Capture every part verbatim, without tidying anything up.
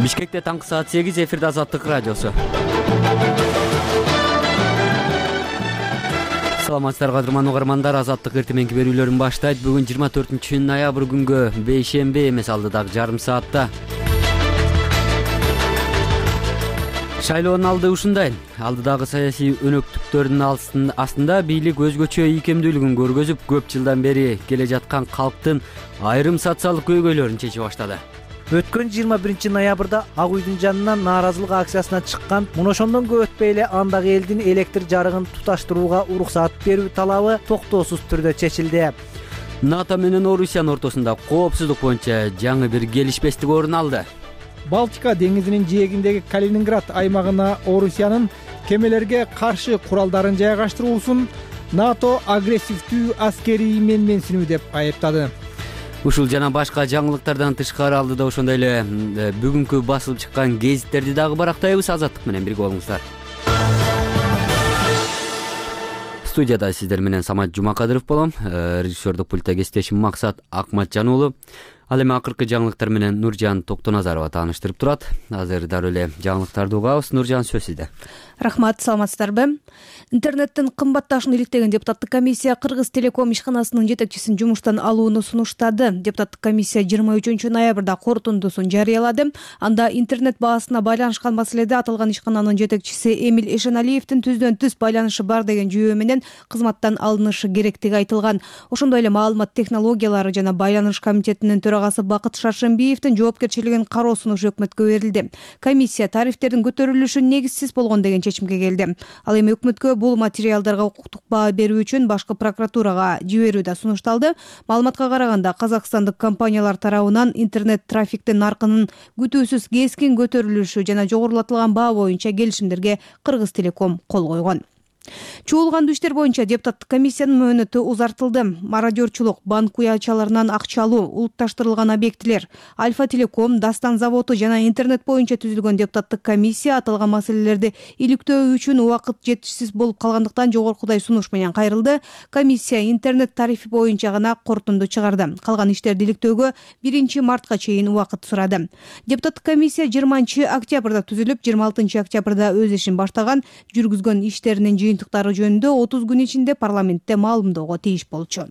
Бишкекте таңкы саат сегиз, эфирде Азаттык радиосу. Саламатсыздар кадырман угармандар, Азаттык эртеменки берүүлөрүн баштайт. Бүгүн жыйырма төртүнчү ноябрь күнгө бейшемби эмес, алдыдагы жарым саатта. Шайлоонун алды ушундай. Алдыдагы саясий өнөктүктөрдүн астында бийлик өзгөчө ийкемдүүлүгүн көргөзүп, көп жылдан бери келе жаткан калктын айрым социалдык көйгөйлөрүн чечип баштады. Өткөн жыйырма биринчи ноябрда Ак үйдүн жанынан нааразылык акциясына чыккан, мына ошондон көп өтпөй эле андагы элдин электр жарыгын туташтырууга уруксаат берүү талабы токтоосуз түрдө чечилди. НАТО менен Орусиянын ортосунда коопсуздук боюнча жаңы бир келишпестик орун алды. Балтика деңизинин жээгиндеги Калининград аймагына Орусиянын кемелерге каршы куралдарын жайгаштыруусун НАТО агрессивдүү аскерий менменсинүү деп айыптады. Ушул жана башка жаңылыктардан тышкары алдыда ошондой эле бүгүнкү басылып чыккан гезиттерди дагы барактайбыз. Азаттык менен бирге болуңуздар. Студияда сиздер менен Самат Жумакадыров болом. Режиссердук пультта кесиптешим Максат Акматжан уулу. Ал эми акыркы жаңылыктар менен Нуржан Токтоназарова тааныштырып турат. Азыр дароо эле жаңылыктарды угабыз. Нуржан, сөз сизде. Рахмат, саламатсыздарбы? Интернеттин кымбатташын иликтеген депутаттык комиссия Кыргыз Телеком ишканасынын жетекчисин жумуштан алууну сунуштады. Депутаттык комиссия жыйырма үчүнчү ноябрда корутундусун жарыялады. Анда интернет баасына байланышкан маселеде аталган ишкананын жетекчиси Эмиль Эшеналиевдин түздөн түз байланышы бар деген жүйөө менен кызматтан алынышы керектиги айтылган. Ошондой эле маалымат технологиялары жана байланыш комитетинин төрагасы Бакыт Шаршембиевдин жоопкерчилигин кароо сунушу өкмөткө берилди. Комиссия тарифтердин көтөрүлүшү негизсиз болгон деген чечимге келди. Ал эми өкмөткө бул материалдарга укуктук баа берүү үчүн башкы прокуратурага жиберүү да сунушталды. Маалыматка караганда, казакстандык компаниялар тарабынан интернет трафиктин наркынын күтүүсүз кескин көтөрүлүшү жана жогорулатылган баа боюнча келишимдерге Кыргыз Телеком кол койгон. Чуулгандуу иштер боюнча депутаттык комиссиянын мөөнөтү узартылды. Мародерчулук, банк уялчаларынан акча алуу, улутташтырылган объектилер, Альфа Телеком, Дастан заводу жана интернет боюнча түзүлгөн депутаттык комиссия аталган маселелерди иликтөө үчүн убакыт жетишсиз болуп калгандыктан жогоркудай сунуш менен кайрылды. Комиссия интернет тарифи боюнча гана корутунду чыгарды. Калган иштерди иликтөөгө биринчи мартка чейин убакыт сурады. Депутаттык комиссия жыйырманчы октябрда түзүлүп, жыйырма алтынчы октябрда өз ишин баштаган, жүргүзгөн иштеринин жыйынтыктары жөнүндө отуз күн ичинде парламентте маалымдоого тийиш болчу.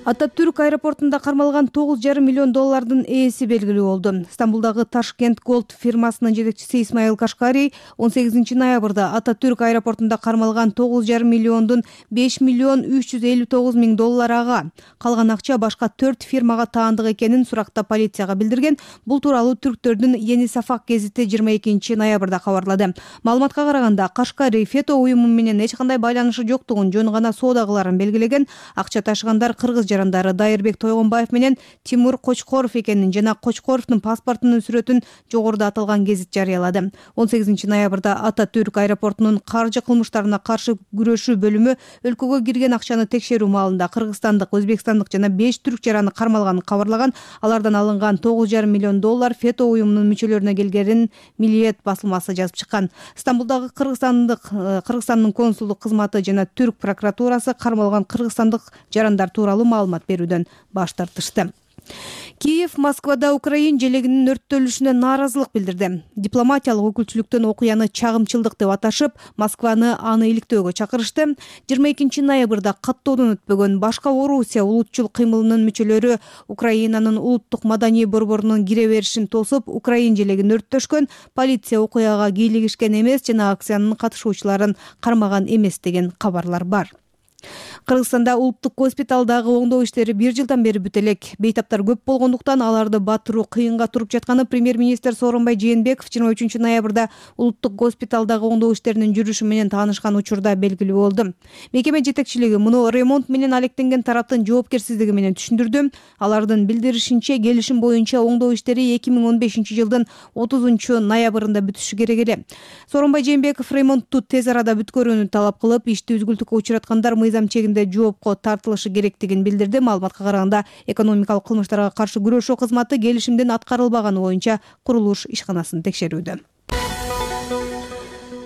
Ататүрк аэропортунда кармалган тогуз жарым миллион доллардын ээси белгилүү болду. Стамбулдагы Ташкент Голд фирмасынын жетекчиси Исмаил Кашкарий он сегизинчи ноябрда Ататүрк аэропортунда кармалган тогуз жарым миллиондун беш миллион үч жүз элүү тогуз миң долларга, калган акча башка төрт фирмага таандык экенин суракта полицияга билдирген. Бул тууралуу түрктөрдүн Yeni Safak гезити жыйырма экинчи ноябрда кабарлады. Маалыматка караганда, Кашкарий фето уюму менен эч кандай байланышы жоктугун, жөн гана соода кыларын белгилеген. Акча ташыгандар кыргыз жарандары Дайырбек Тойгонбаев менен Тимур Кочкоров экенин жана Кочкоровдун паспортунун сүрөтүн жогоруда аталган гезит жарыялады. он сегизинчи ноябрда Ататүрк аэропортунун каржы кылмыштарына каршы күрөшүү бөлүмү өлкөгө кирген акчаны текшерүү маалында кыргызстандык, өзбекстандык жана беш түрк жараны кармалганын кабарлаган. Алардан алынган тогуз жарым миллион доллар фето уюмунун мүчөлөрүнө келгенин Милиет басылмасы жазып чыккан. Стамбулдагы кыргызстандык Кыргызстандын консулдук кызматы жана түрк прокуратурасы кармалган кыргызстандык жарандар тууралуу маалымат берүүдөн баш тартышты. Киев Москвада Украин желегинин өрттөлүшүнө нааразылык билдирди. Дипломатиялык өкүлчүлүктөн окуяны чагымчылдык деп аташып, Москваны аны иликтөөгө чакырышты. жыйырма экинчи ноябрда каттоодон өтпөгөн башка Орусия улутчул кыймылынын мүчөлөрү Украинанын улуттук маданий борборунун кире беришин тосуп, Украин желегин өрттөшкөн. Полиция окуяга кийлигишкен эмес жана акциянын катышуучуларын кармаган эмес деген кабарлар бар. Кыргызстанда улуттук госпиталдагы оңдоо иштери бир жылдан бери бүтө элек. Бейтаптар көп болгондуктан аларды батыруу кыйынга туруп жатканы премьер-министр Сооронбай Жээнбеков жыйырма үчүнчү ноябрда улуттук госпиталдагы оңдоо иштеринин жүрүшү менен таанышкан учурда белгилүү болду. Мекеме жетекчилиги муну ремонт менен алектенген тараптын жоопкерсиздиги менен түшүндүрдү. Алардын билдиришинче, келишим боюнча оңдоо иштери эки миң он бешинчи жылдын отузунчу ноябрында бүтүшү керек эле. Сооронбай Жээнбеков ремонтту тез арада бүткөрүүнү талап кылып, ишти үзгүлтүккө учураткандар мыйзам чегинде жоопко тартылышы керектигин билдирди. Маалыматка караганда, экономикалык кылмыштарга каршы күрөшүү кызматы келишимдин аткарылбаганы боюнча курулуш ишканасын текшерүүдө.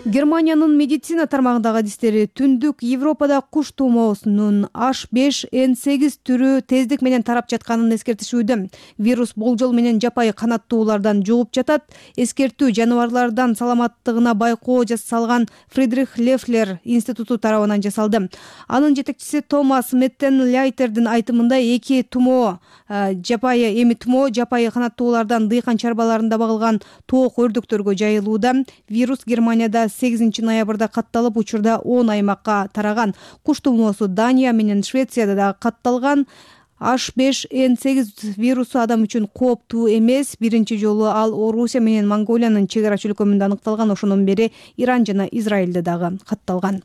Германиянын медицина тармагындагы адистери түндүк Европада куш тумоосунун H беш N сегиз түрү тездик менен тарап жатканын эскертишүүдө. Вирус болжол менен жапайы канаттуулардан жугуп жатат. Эскертүү жаныбарлардан саламаттыгына байкоо жасалган Фридрих Лефлер институту тарабынан жасалды. Анын жетекчиси Томас Меттен-Ляйтердин айтымында эки тумоо жапайы эми тумоо жапайы канаттуулардан дыйкан чарбаларында багылган тоок өрдөктөргө жайылууда. Вирус Германияда сегизинчи ноябрда катталып, учурда он аймакка тараган. Куш тумоосу Дания менен Швецияда да катталган. H беш N сегиз вирусу адам үчүн кооптуу эмес. Биринчи жолу ал Орусия менен Монголиянын чек ара чөлкөмүндө аныкталган. Ошондон бери Иран жана Израилде дагы катталган.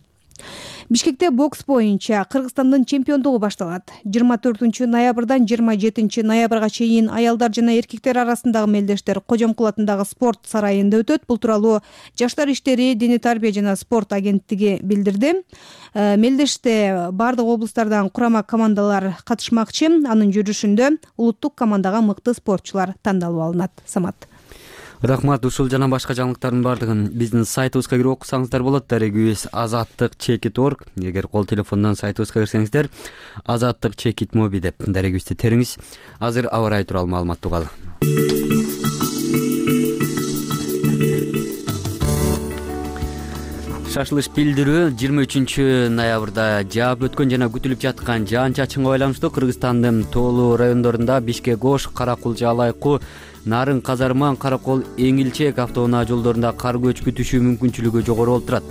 Бишкекте бокс боюнча Кыргызстандын чемпиондугу башталат. жыйырма төртүнчү ноябрдан жыйырма жетинчи ноябрга чейин аялдар жана эркектер арасындагы мелдештер Кожомкул атындагы спорт сарайында өтөт. Бул тууралуу Жаштар иштери, дене тарбия жана спорт агенттиги билдирди. Мелдеште бардык облустардан курама командалар катышмакчы. Анын жүрүшүндө улуттук командага мыкты спортчулар тандалып алынат. Самат. Рахмат. Ушул жана башка жаңылыктардын бардыгын биздин сайтыбызга кирип окусаңыздар болот. Дарегибиз азаттык чекит точка орг. Эгер кол телефондон сайтыбызга кирсеңиздер, азаттык чекит моби деп дарегибизди териңиз. Азыр аба ырайы тууралуу маалымат угалы. Шашылыш билдирүү жыйырма үчүнчү ноябрда жаап өткөн жана күтүлүп жаткан жаан чачынга байланыштуу Кыргызстандын тоолуу райондорунда Бишкек Ош, Каракул, Жалайкуу, Нарын, Казарман, Каракол, Эңилчек автоунаа жолдорунда кар көчкү түшүү мүмкүнчүлүгү жогору болуп турат.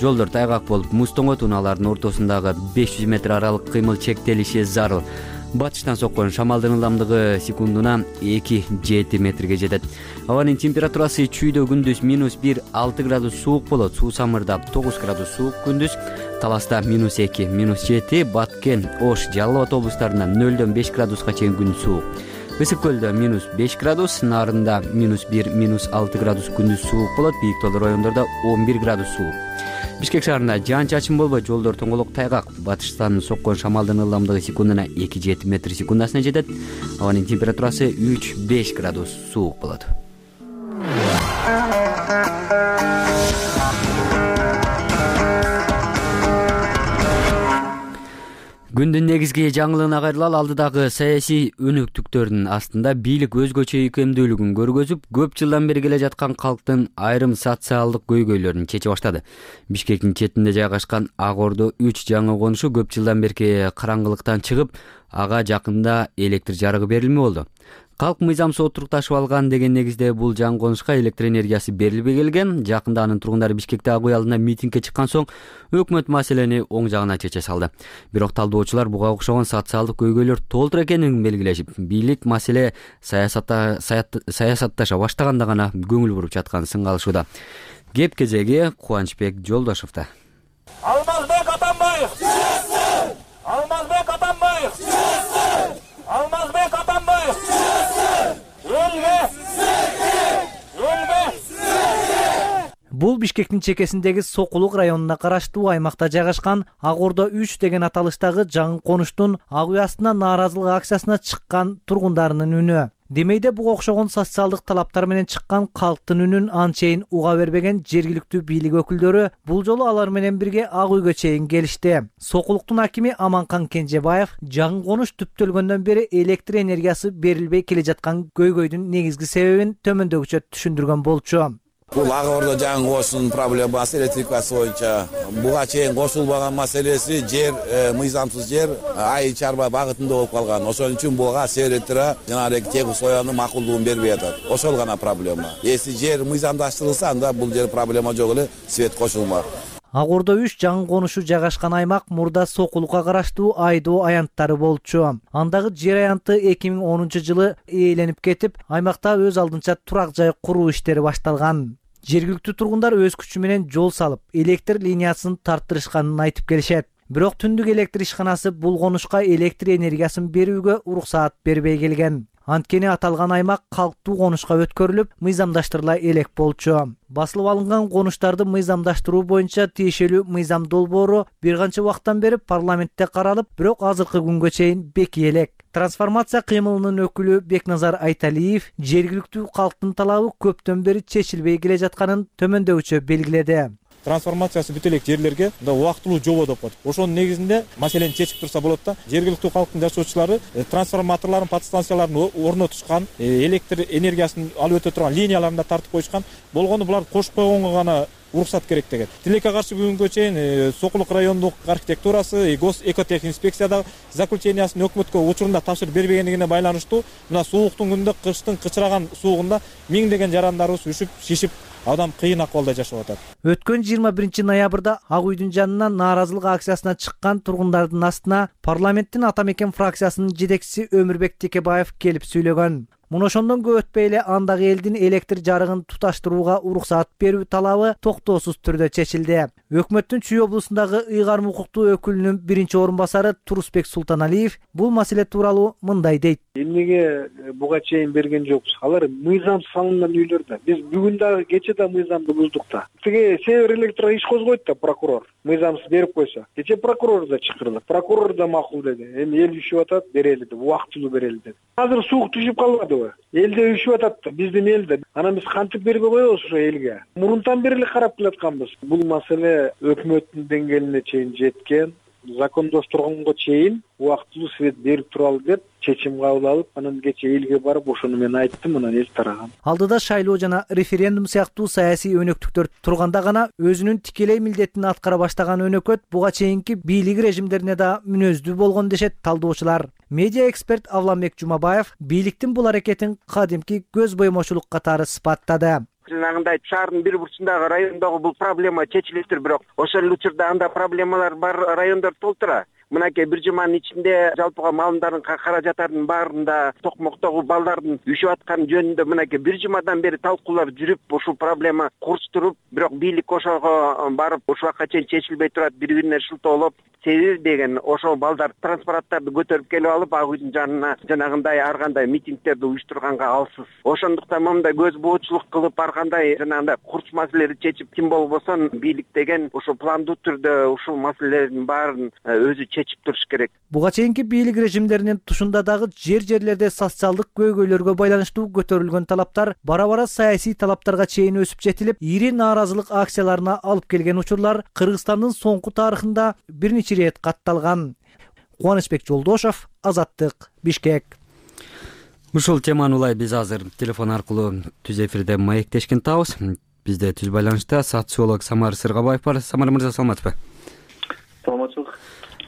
Жолдор тайгак болуп, муз тоңот, унаалардын ортосундагы беш жүз метр аралык кыймыл чектелиши зарыл. Батыштан соккон шамалдын ылдамдыгы секундуна эки жети метрге жетет. Абанын температурасы чүйдө күндүз минус бир алты градус суук болот. Суусамырда тогуз градус суук күндүз. Таласта минус эки, минус жети, Баткен, Ош, Жалал Абад облустарында нөлдөн беш градуска чейин күн суук. Ысык көлдө минус беш градус, Нарында минус бир, минус алты градус күндүз суук болот. Бийик тоолуу райондордо он бир градус суук. Бишкек шаарында жаан чачын болбой, жолдор тоңголок тайгак. Батыштан соккон шамалдын ылдамдыгы секундуна эки жети метр секундасына жетет. Абанын температурасы үч беш градус суук болот. Күндүн негизги жаңылыгына кайрылалы. Алдыдагы саясий өнөктүктөрдүн астында бийлик өзгөчө ийкемдүүлүгүн көргөзүп, көп жылдан бери келе жаткан калктын айрым социалдык көйгөйлөрүн чече баштады. Бишкектин четинде жайгашкан Ак Ордо үч жаңы конушу көп жылдан берки караңгылыктан чыгып, ага жакында электр жарыгы берилмей болду. Калк мыйзамсыз отурукташып алган деген негизде бул жаңы конушка электр энергиясы берилбей келген. Жакында анын тургундары Бишкекте Ак үй алдында митингге чыккан соң өкмөт маселени оң жагына чече салды. Бирок талдоочулар буга окшогон социалдык көйгөйлөр толтур экенин белгилешип, бийлик маселе саясатта саясатташа баштаганда гана көңүл буруп жатканын сынгалышууда. Кеп кезеги Кубанычбек Жолдошовдо. Алмазбек Атамбаев! Алмазбек Атамбаев! Алмазбек Атамбаев! Бул Бишкектин чекесиндеги Сокулук районуна караштуу аймакта жайгашкан Ак Ордо үч деген аталыштагы жаңы конуштун ак үй астына нааразылык акциясына чыккан тургундарынын үнү. Демейде буга окшогон социалдык талаптар менен чыккан калктын үнүн анчейин уга бербеген жергиликтүү бийлик өкүлдөрү бул жолу алар менен бирге Ак үйгө чейин келишти. Сокулуктун акими Аманкан Кенжебаев жаңы конуш түптөлгөндөн бери электр энергиясы берилбей келе жаткан көйгөйдүн негизги себебин төмөндөгүчө түшүндүргөн болчу. Бул Ак Ордо жаңы конуштун проблемасы электрикасы боюнча буга чейин кошулбаган маселеси жер, мыйзамсыз жер айыл чарба багытында болуп калган. Ошон үчүн буга Севреттира жанагы тегү соянын макулдугун бербей атат. Ошол гана проблема. Если жер мыйзамдаштырылса, анда бул жер проблема жок эле, свет кошулмак. Ак Ордо үч жаңы конушу жайгашкан аймак мурда Сокулукка караштуу Айдоо аянттары болчу. Андагы жер аянты эки миң онунчу жылы ээленип кетип, аймакта өз алдынча турак жай куруу иштери башталган. Жергиликтүү тургундар өз күчү менен жол салып, электр линиясын тарттырышканын айтып келишет. Бирок түндүк электр ишканасы бул конушка электр энергиясын берүүгө уруксаат бербей келген. Анткени аталган аймак калктуу конушка өткөрүлүп, мыйзамдаштырыла элек болчу. Басылып алынган конуштарды мыйзамдаштыруу боюнча тиешелүү мыйзам долбоору бир канча убакыттан бери парламентте каралып, бирок азыркы күнгө чейин бекий элек. Трансформация кыймылынын өкүлү Бекназар Айталиев жергиликтүү калктын талабы көптөн бери чечилбей келе жатканын төмөндөгүчө белгиледи. трансформациясы бүтө элек жерлерге мындай убактылуу жобо деп коет. Ошонун негизинде маселени чечип турса болот да. Жергиликтүү калктын жашоочулары трансформаторлорун, подстанцияларын орнотушкан, электр энергиясын алып өтө турган линияларын да тартып коюшкан. Болгону буларды кошуп койгонго гана уруксат керек деген. Тилекке каршы бүгүнгө чейин Сокулук райондук архитектурасы, гос экотехинспекцияда заключениясын өкмөткө учурунда тапшырып бербегендигине байланыштуу мына сууктун күнүндө, кыштын кычыраган суугунда миңдеген жарандарыбыз үшүп, шишип, адам кыйын акыбалда жашап атат. Өткөн жыйырма биринчи ноябрда Ак үйдүн жанынан нааразылык акциясына чыккан тургундардын астына парламенттин Ата мекен фракциясынын жетекчиси Өмүрбек Текебаев келип сүйлөгөн. Муну ошондон көп өтпөй эле андагы элдин электр жарыгын туташтырууга уруксат берүү талабы токтоосуз түрдө чечилди. Өкмөттүн Чүй облусундагы ыйгарым укуктуу өкүлүнүн биринчи орун басары Турусбек Султаналиев бул маселе тууралуу мындай дейт. Эмнеге буга чейин берген жокпуз? Алар мыйзам салынган үйлөр да. Биз бүгүн дагы кече да мыйзамды буздук да. Тиги Север Электро иш козгойт да прокурор. Мыйзамсыз берип койсо. Кече прокурор да чакырды. Прокурор да макул деди. Эми эл үшүп атат, берели деп, убактылуу берели деп. Азыр суук түшүп калбадыбы? Элде үшүп атат да, биздин элде. Анан биз кантип бербей коебуз ошо элге? Мурунтан бери эле карап келатканбыз. Бул маселе өкмөттүн деңгээлине чейин жеткен, закондоштурганга чейин убактылуу свет берип туралы деп чечим кабыл алып, анан кече элге барып ошону мен айттым, анан эл тараган. Алдыда шайлоо жана референдум сыяктуу саясий өнөктүктөр турганда гана өзүнүн тикелей милдетин аткара баштаган өнөкөт буга чейинки бийлик режимдерине да мүнөздүү болгон дешет талдоочулар. Медиа эксперт Авламбек Жумабаев бийликтин бул аракетин кадимки көз боймочулук катары сыпаттады. Жанагындай шаардын бир бурчундагы райондогу бул проблема чечилиптир, бирок ошол учурда анда проблемалар бар райондор толтура. Мынакей бир жуманын ичинде жалпыга маалымдардын каражаттардын баарында токмоктогу балдардын үшүп атканы жөнүндө мынакей бир жумадан бери талкуулар жүрүп, ушул проблема курчтуруп, бирок бийлик ошого барып ушул убакка чейин чечилбей турат, бири-бирине шылтоолоп, себеби деген ошол балдар транспараттарды көтөрүп келип алып Ак үйдүн жанына жанагындай ар кандай митингдерди уюштурганга алсыз. Ошондуктан момундай көз боочулук кылып ар кандай жанагындай курч маселелерди чечип, ким болбосо бийлик деген ошол пландуу түрдө ушул маселелердин баарын өзү чечип туруш керек. Буга чейинки бийлик режимдеринин тушунда дагы жер-жерлерде социалдык көйгөйлөргө байланыштуу көтөрүлгөн талаптар бара-бара саясий талаптарга чейин өсүп жетилип, ири нааразылык акцияларына алып келген учурлар Кыргызстандын соңку тарыхында бир нече рет катталган. Кубанычбек Жолдошов, Азаттык, Бишкек. Ушул теманы улай биз азыр телефон аркылуу түз эфирде маектешкен табыз. Бизде түз байланышта социолог Самар Сыргабаев бар. Самар мырза, саламатсызбы? Саламатчылык.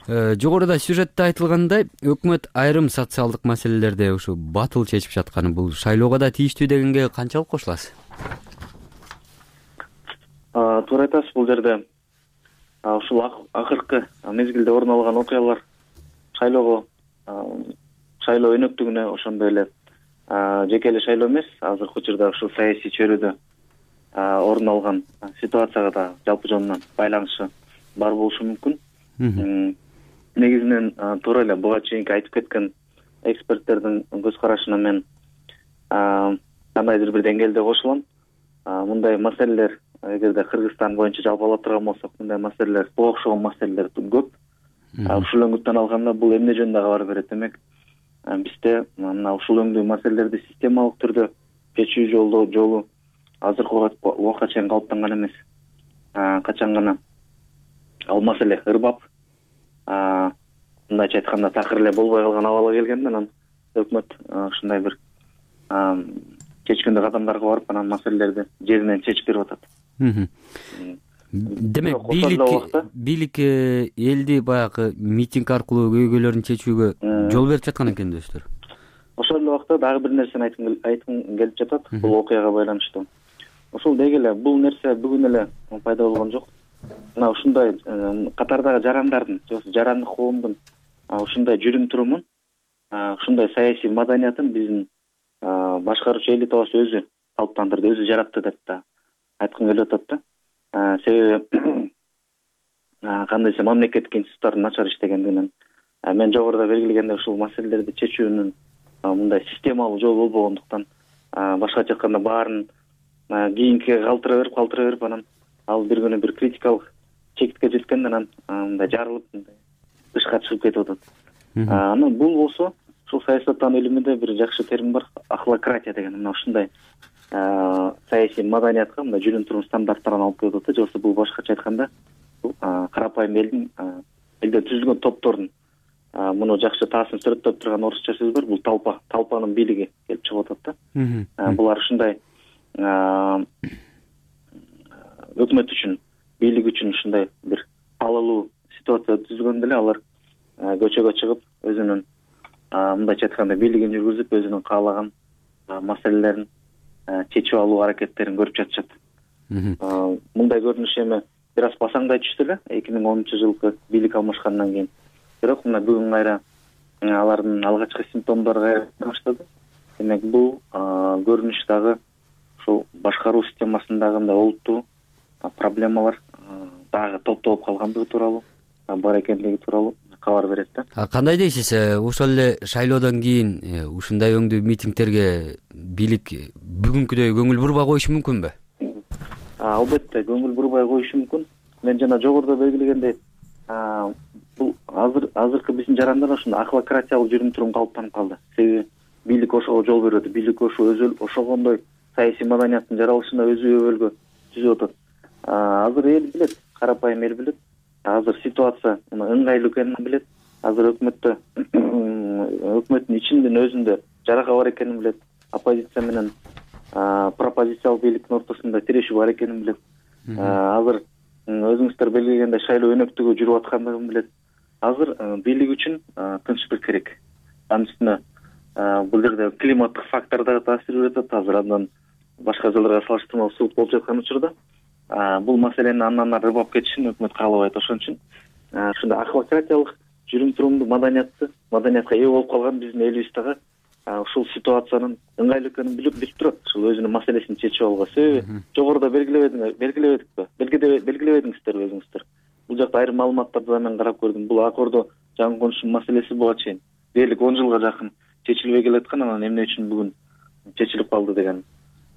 Жогоруда сюжетте айтылгандай, өкмөт айрым социалдык маселелерди ушу батыл чечип жатканы бул шайлоого да тийиштүү дегенге канчалык кошуласыз? Туура айтасыз, бул жерде ушул акыркы мезгилде орун алган окуялар шайлоого, шайлоо өнөктүгүнө, ошондой эле жеке эле шайлоо эмес, азыркы учурда ушул саясий чөйрөдө орун алган ситуацияга да жалпы жонунан байланышы бар болушу мүмкүн. Негизинен туура эле буга чейинки айтып кеткен эксперттердин көз карашына мен кандайдыр бир деңгээлде кошулам. Мындай маселелер, эгерде Кыргызстан боюнча жалпы ала турган болсок, мындай маселелер, буга окшогон маселелер көп. Ушул өңүттөн алганда бул эмне жөнүндө кабар берет? Демек, бизде мына ушул өңдүү маселелерди системалык түрдө чечүү жолу жолу азыркы убакка чейин калыптанган эмес. Качан гана ал маселе ырбап, мындайча айтканда такыр эле болбой калган абалга келгенде, анан өкмөт ушундай бир чечкиндүү кадамдарга барып, анан маселелерди жеринен чечип берип атат. Демек, бийлик бийлик элди баягы митинг аркылуу көйгөйлөрүн чечүүгө жол берип жаткан экен дөөстөр. Ошол эле убакта дагы бир нерсени айткым келип жатат, бул окуяга байланыштуу. Ошол деги эле бул нерсе бүгүн эле пайда болгон жок. Мына ушундай катардагы жарандардын, жарандык коомдун ушундай жүрүм турумун, ушундай саясий маданиятын биздин башкаруучу элитабыз өзү калыптандырды, өзү жаратты деп да айткым келип атат да. Себеби кандайча мамлекеттик институттар начар иштегендигинен, мен жогоруда белгилегендей ушул маселелерди чечүүнүн мындай системалуу жол болбогондуктан, башкача айтканда баарын кийинкиге калтыра берип, калтыра берип, анан ал бир күнү бир критикалык чектикке жеткенде анан мындай жарылып, мындай тышка чыгып кетип атат. Анан бул болсо, ушул саясаттануу илиминде бир жакшы термин бар, ахлократия деген. Мына ушундай саясий маданиятка, мындай жүрүм турум стандарттарын алып келип атат. Же болбосо бул башкача айтканда бул карапайым элдин элден түзүлгөн топтордун муну жакшы таасирин сүрөттөп турган орусча сөз бар. Бул толпа, толпанын бийлиги келип чыгып атат да. Булар ушундай өкмөт үчүн, бийлик үчүн ушундай бир алалуу ситуация түзүлгөндө эле алар көчөгө чыгып өзүнүн мындайча айтканда бийлигин жүргүзүп, өзүнүн каалаган маселелерин чечип алуу аракеттерин көрүп жатышат. Мындай көрүнүш эми бир аз басаңдай түштү эле эки миң онунчу жылкы бийлик алмашкандан кийин. Бирок мына бүгүн кайра алардын алгачкы симптомдору кайра баштады. Демек бул көрүнүш дагы ушул башкаруу системасындагы мындай олуттуу проблемалар дагы топтолуп калгандыгы тууралуу, бар экендиги тууралуу кабар берет да. Кандай дейсиз, ошол эле шайлоодон кийин ушундай өңдүү митингтерге бийлик бүгүнкүдөй көңүл бурбай коюшу мүмкүнбү? Албетте көңүл бурбай коюшу мүмкүн. Мен жана жогоруда белгилегендей, бул азыр азыркы биздин жарандар ушундай ахлократиялык жүрүм турум калыптанып калды. Себеби бийлик ошого жол берет, бийлик ошо өзү ошогондой саясий маданияттын жаралышына өзү өбөлгө түзүп атат. Азыр эл билет, карапайым эл билет. Азыр ситуация ыңгайлуу экенин билет. Азыр өкмөттө өкмөттүн ичинин өзүндө жарака бар экенин билет. Оппозиция менен пропозициялык бийликтин ортосунда тирешүү бар экенин билет. Азыр өзүңүздөр белгилегендей шайлоо өнөктүгү жүрүп аткандыгын билет. Азыр бийлик үчүн тынчтык керек. Анын үстүнө бул жерде климаттык фактор да таасир берип атат. Азыр андан башка жылдарга салыштырмалуу суук болуп жаткан учурда бул маселени андан ары рыбап кетишин өкмөт каалабайт. Ошон үчүн ушундай ахлократиялык жүрүм турумду маданиятты маданиятка ээ болуп калган биздин элибиз дагы ушул ситуациянын ыңгайлуу экенин билип билип турат. Ушул өзүнүн маселесин чечип алууга. Себеби жогоруда белгилебедиңер, белгилебедикпи? Белгилебедиңиздерби өзүңүздөр? Бул жакта айрым маалыматтарды да мен карап көрдүм. Бул акордо жаңы конуштун маселеси буга чейин дээрлик он жылга жакын чечилбей келаткан, анан эмне үчүн бүгүн чечилип калды деген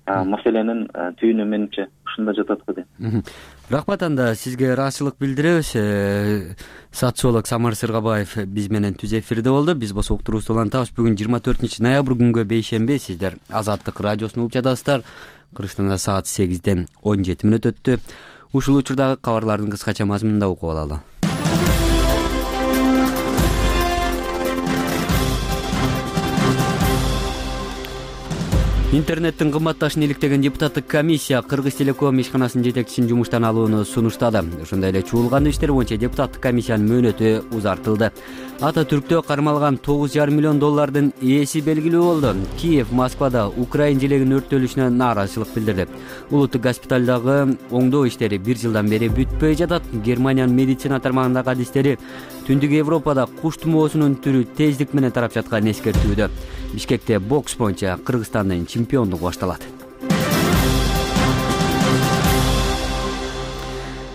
маселенин түйүнү менимче ушунда жатат го дейм. Рахмат, анда сизге ыраазычылык билдиребиз. Социолог Самар Сыргабаев биз менен түз эфирде болду. Биз болсо уктуруубузду улантабыз. Бүгүн жыйырма төртүнчү ноябрь күнгө бейшемби. Сиздер Азаттык радиосун угуп жатасыздар. Кыргызстанда саат сегизден он жети мүнөт өттү. Ушул учурдагы кабарлардын кыскача мазмунунда угуп алалы. Интернеттин кымбатташын иликтеген депутаттык комиссия Кыргыз Телеком ишканасынын жетекчисин жумуштан алууну сунуштады. Ошондой эле чуулган иштер боюнча депутаттык комиссиянын мөөнөтү узартылды. Ата Түрктө кармалган тогуз жарым миллион доллардын ээси белгилүү болду. Киев Москвада Украин желегинин өрттөлүшүнө нааразычылык билдирди. Улуттук госпиталдагы оңдоо иштери бир жылдан бери бүтпөй жатат. Германиянын медицина тармагындагы адистери Түндүк Европада куш тумоосунун түрү тездик менен тарап жатканын эскертүүдө. Бишкекте бокс боюнча Кыргызстандын чемпиондугу башталат.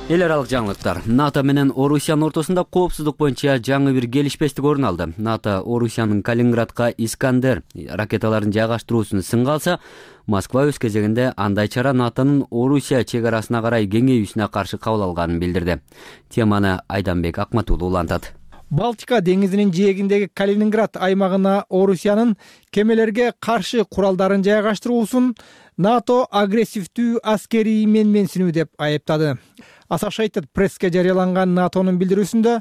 Эл аралык жаңылыктар. НАТО менен Орусиянын ортосунда коопсуздук боюнча жаңы бир келишпестик орун алды. НАТО Орусиянын Калининградка Искандер ракеталарын жайгаштыруусун сынга алса, Москва өз кезегинде андай чара НАТОнун Орусия чек арасына карай кеңейүүсүнө каршы кабыл алганын билдирди. Теманы Айданбек Акматулов улантат. Балтика деңизинин жээгиндеги Калининград аймагына Орусиянын кемелерге каршы куралдарын жайгаштыруусун НАТО агрессивдүү аскерий менменсинүү деп айыптады. Associated Press'ке жарыяланган НАТОнун билдирүүсүндө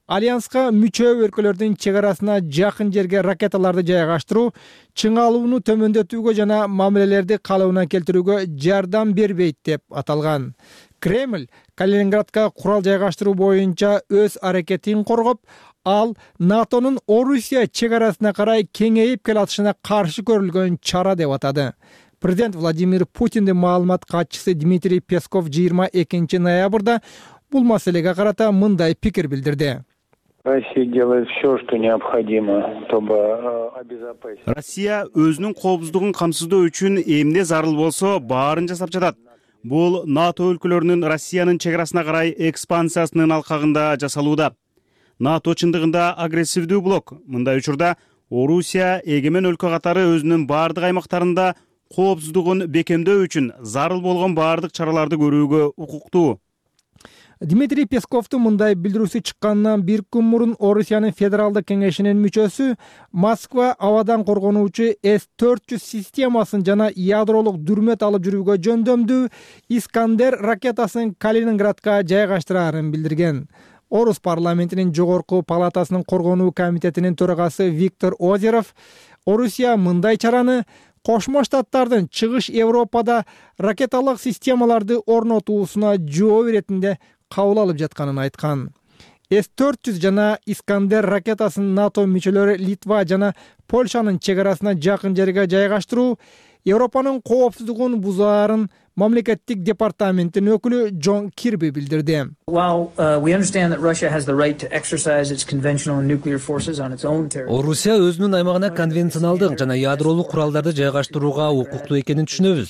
альянска мүчө өлкөлөрдүн чек арасына жакын жерге ракеталарды жайгаштыруу чыңалууну төмөндөтүүгө жана мамилелерди калыбына келтирүүгө жардам бербейт деп аталган. Кремль Калининградка курал жайгаштыруу боюнча өз аракетин коргоп, ал НАТОнун Орусия чек арасына карай кеңейип келатышына каршы көрүлгөн чара деп атады. Президент Владимир Путиндин маалымат катчысы Дмитрий Песков жыйырма экинчи ноябрда бул маселеге карата мындай пикир билдирди. Россия делает все, что необходимо, чтобы обезопасить. Россия өзүнүн коопсуздугун камсыздоо үчүн эмне зарыл болсо баарын жасап жатат. Бул НАТО өлкөлөрүнүн Россиянын чек арасына карай экспансиясынын алкагында жасалууда. НАТО чындыгында агрессивдүү блок. Мындай учурда Орусия эгемен өлкө катары өзүнүн баардык аймактарында коопсуздугун бекемдөө үчүн зарыл болгон баардык чараларды көрүүгө укуктуу. Дмитрий Песковдун мындай билдирүүсү чыкканынан бир күн мурун Орусиянын федералдык кеңешинин мүчөсү Москва абадан коргонуучу эс төрт жүз системасын жана ядролук дүрмөт алып жүрүүгө жөндөмдүү Искандер ракетасын Калининградка жайгаштырарын билдирген. Орус парламентинин жогорку палатасынын коргонуу комитетинин төрагасы Виктор Озеров Орусия мындай чараны Кошмо Штаттардын чыгыш Европада ракеталык системаларды орнотуусуна жооп иретинде кабыл алып жатканын айткан. эс төрт жүз жана Искандер ракетасын НАТО мүчөлөрү Литва жана Польшанын чек арасына жакын жерге жайгаштыруу Европанын коопсуздугун бузаарын мамлекеттик департаменттин өкүлү Джон Кирби билдирди. Орусия өзүнүн аймагына конвенционалдык жана ядролук куралдарды жайгаштырууга укуктуу экенин түшүнөбүз.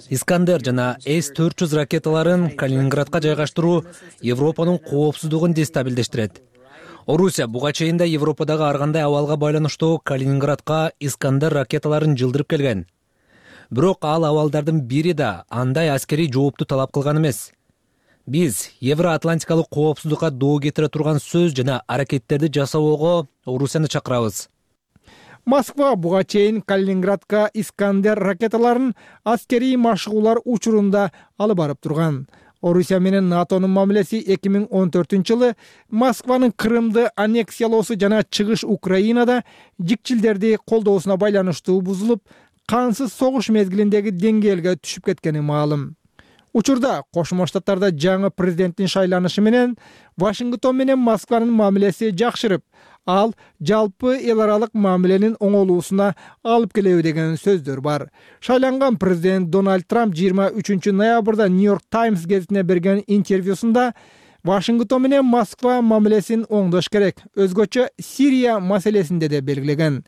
Искандер жана эс төрт жүз ракеталарын Калининградка жайгаштыруу Европанын коопсуздугун дестабилдештирет. Орусия буга чейин да Европадагы ар кандай абалга байланыштуу Калининградка Искандер ракеталарын жылдырып келген. Бирок ал абалдардын бири да андай аскерий жоопту талап кылган эмес. Биз Евроатлантикалык коопсуздукка доо кетире турган сөз жана аракеттерди жасоого Орусияны чакырабыз. Москва буга чейин Калининградка Искандер ракеталарын аскерий машыгуулар учурунда алып барып турган. Орусия менен НАТОнун мамилеси эки миң он төртүнчү жылы Москванын Крымды аннексиялоосу жана чыгыш Украинада жикчилдерди колдоосуна байланыштуу бузулуп, кансыз согуш мезгилиндеги деңгээлге түшүп кеткени маалым. Учурда Кошмо Штаттарда жаңы президенттин шайланышы менен Вашингтон менен Москванын мамилеси жакшырып, ал жалпы эл аралык мамиленин оңолуусуна алып келеби деген сөздөр бар. Шайланган президент Дональд Трамп жыйырма үчүнчү ноябрда Нью-Йорк Таймс гезитине берген интервьюсунда Вашингтон менен Москва мамилесин оңдош керек, өзгөчө Сирия маселесинде де белгилеген.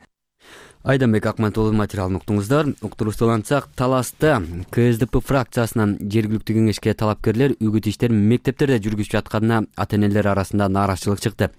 Айданбек Акматулы материалын уктуңуздар. Уктуруштуулантсак, Таласта ка эс дэ пэ фракциясынан жергиликтүү кеңешке талапкерлер үгүт иштерин мектептерде жүргүзүп жатканына ата-энелер арасында нааразычылык чыкты.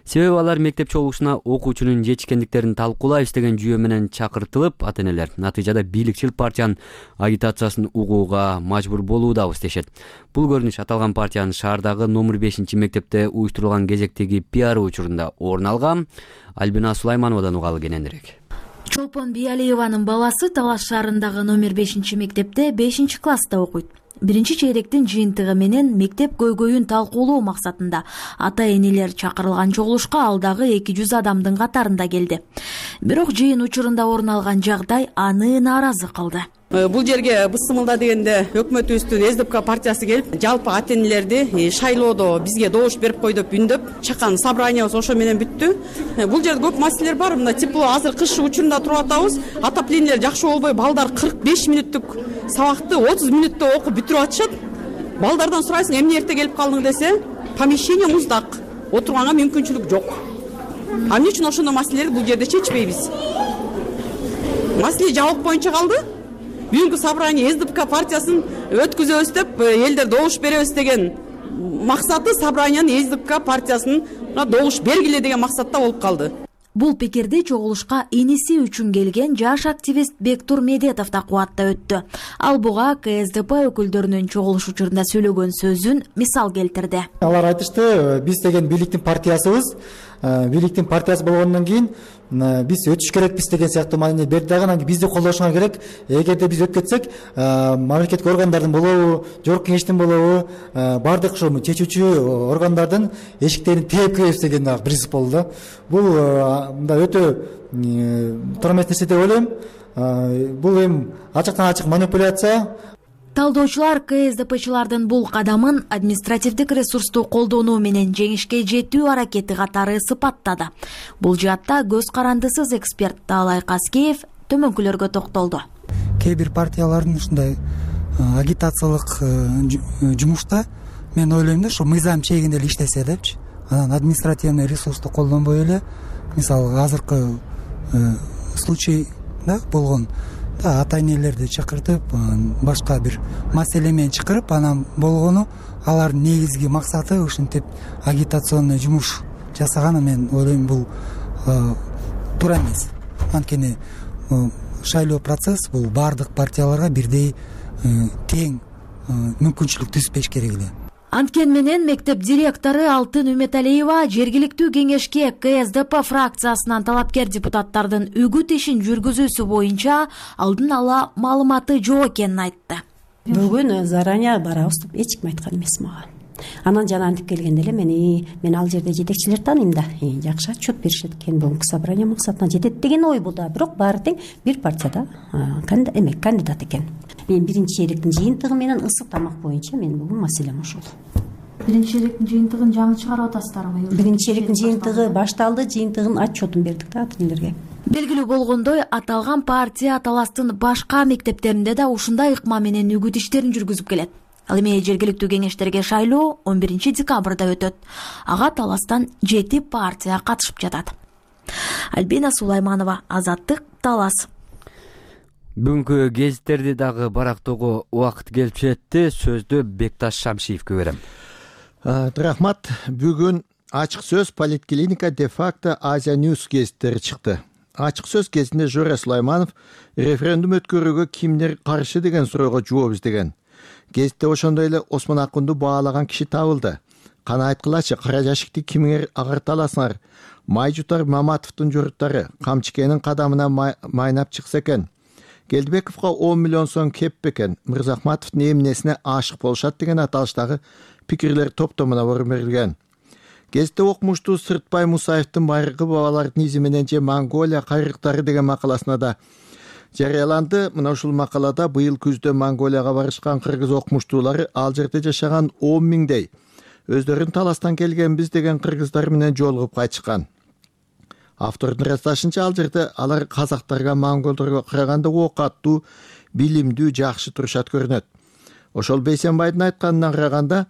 Себеби алар мектеп чогулушуна окуучунун жетишкендиктерин талкуулайбыз деген жүйө менен чакыртылып, ата-энелер натыйжада бийликчил партиянын агитациясын угууга мажбур болуудабыз дешет. Бул көрүнүш аталган партиянын шаардагы номер бешинчи мектепте уюштурулган кезектеги пиар учурунда орун алган. Альбина Сулаймановадан угалы кененирээк. Чолпон Биялиеванын баласы Талаш шаарындагы номер бешинчи мектепте бешинчи класста окуйт. Биринчи чейректин жыйынтыгы менен мектеп көйгөйүн талкуулоо максатында ата-энелер чакырылган чогулушка ал дагы эки жүз адамдын катарында келди. Бирок жыйын учурунда орун алган жагдай аны нааразы кылды. Бул жерге Бысымылда дегенде өкмөтүбүздүн эс дэ пэ партиясы келип, жалпы ата-энелерди шайлоодо бизге добуш берип кой деп үндөп, чакан собраниябыз ошо менен бүттү. Бул жерде көп маселелер бар. Мына тепло азыр кыш учурунда туруп атабыз. Отоплениелер жакшы болбой, балдар кырк беш мүнөттүк сабакты отуз мүнөттө окуп бүтүрүп атышат. Балдардан сурайсың, эмне эрте келип калдың десе, помещение муздак, отурганга мүмкүнчүлүк жок. А эмне үчүн ошондой маселелерди бул жерде чечпейбиз? Маселе жабык боюнча калды. Бүгүнкү собрание эс дэ пэ партиясын өткүзөбүз деп, элдер добуш беребиз деген максаты собраниянын эс дэ пэ партиясын добуш бергиле деген максатта болуп калды. Бул пикирди чогулушка иниси үчүн келген жаш активист Бектур Медетов да кубаттап өттү. Ал буга ка эс дэ пэ өкүлдөрүнүн чогулуш учурунда сөйлөгөн сөзүн мисал келтирди. Алар айтышты, биз деген бийликтин партиясыбыз, бийликтин партиясы болгондон кийин биз өтүш керекпиз деген сыяктуу маани берди дагы. Анан бизди колдошуңар керек. Эгерде биз өтүп кетсек, мамлекеттик органдардын болобу, жогорку кеңештин болобу, бардык ошо чечүүчү органдардын эшиктерин тээп киребиз деген дагы принцип болду. Бул мындай өтө туура эмес нерсе деп ойлойм. Бул эми ачыктан ачык манипуляция. Талдоочулар ка эс дэ пэчилардын бул кадамын административдик ресурсту колдонуу менен жеңишке жетүү аракети катары сыпаттады. Бул жаатта көз карандысыз эксперт Таалай Казкеев төмөнкүлөргө токтолду. Кээ бир партиялардын ушундай агитациялык жумушта мен ойлойм да, ушу мыйзам чегинде эле иштесе депчи. Анан административный ресурсту колдонбой эле, мисалы азыркы случайда болгон ата-энелерди чакыртып, башка бир маселе менен чакырып, анан болгону алардын негизги максаты ушинтип агитационный жумуш жасаганы мен ойлойм бул туура эмес. Анткени шайлоо процесс бул бардык партияларга бирдей тең мүмкүнчүлүк түзбеш керек эле. Анткени менен мектеп директору Алтын Үмөталиева жергиликтүү кеңешке ка эс дэ пэ фракциясынан талапкер депутаттардын үгүт ишин жүргүзүүсү боюнча алдын ала маалыматы жок экенин айтты. Бүгүн заранее барабыз деп эч ким айткан эмес мага. Анан жана антип келгенде эле мени мен ал жерде жетекчилерди тааныйм да, жакшы отчет беришет экен, бүгүнкү собрание максатына жетет деген ой болду. Бирок баары тең бир партияда эмек кандидат экен. Мен биринчи чейректин жыйынтыгы менен ысык тамак боюнча менин бүгүн маселем ушул. Биринчи чейректин жыйынтыгын жаңы чыгарып атасыздарбы? Биринчи чейректин жыйынтыгы башталды, жыйынтыгын отчетун бердик да ата энелерге. Белгилүү болгондой, аталган партия таластын башка мектептеринде да ушундай ыкма менен үгүт иштерин жүргүзүп келет. Ал эми жергиликтүү кеңештерге шайлоо он биринчи декабрда өтөт. Ага таластан жети партия катышып жатат. Альбина Сулайманова, Азаттык, Талас. Бүгүнкү гезиттерди дагы барактоого убакыт келип жетти. Сөздү Бекташ Шамшиевке берем. Рахмат. Бүгүн ачык сөз Политклиника де-факто Азия Ньюс гезиттери чыкты. Ачык сөз кезинде Жора Сулайманов референдум өткөрүүгө кимдер каршы деген суроого жооп издеген. Гезитте ошондой эле Осмон Акунду баалаган киши табылды. Кана айткылачы, кара жашикти кимиңер агарталасыңар? Май жутар Маматовдун журуттары Камчыкенин кадамына майнап чыкса экен. Келдибековго он миллион сом кеп бекен. Мырзахматовдун эмнесине ашык болушат деген аталыштагы пикирлер топтомуна орун берилген. Гезитте окумуштуу Сыртбай Мусаевдин Байыркы бабалардын изи менен же Монголия кайрыктары деген макаласына да жарыяланды. Мына ушул макалада быйыл күздө Монголияга барышкан кыргыз окумуштуулары ал жерде жашаган он миңдей өздөрүн таластан келгенбиз деген кыргыздар менен жолугуп кайтышкан. Автордун ырасташынча ал жерде алар казактарга, монголдорго караганда оокаттуу, билимдүү, жакшы турушат көрүнөт. Ошол Бейсенбайдын айтканына караганда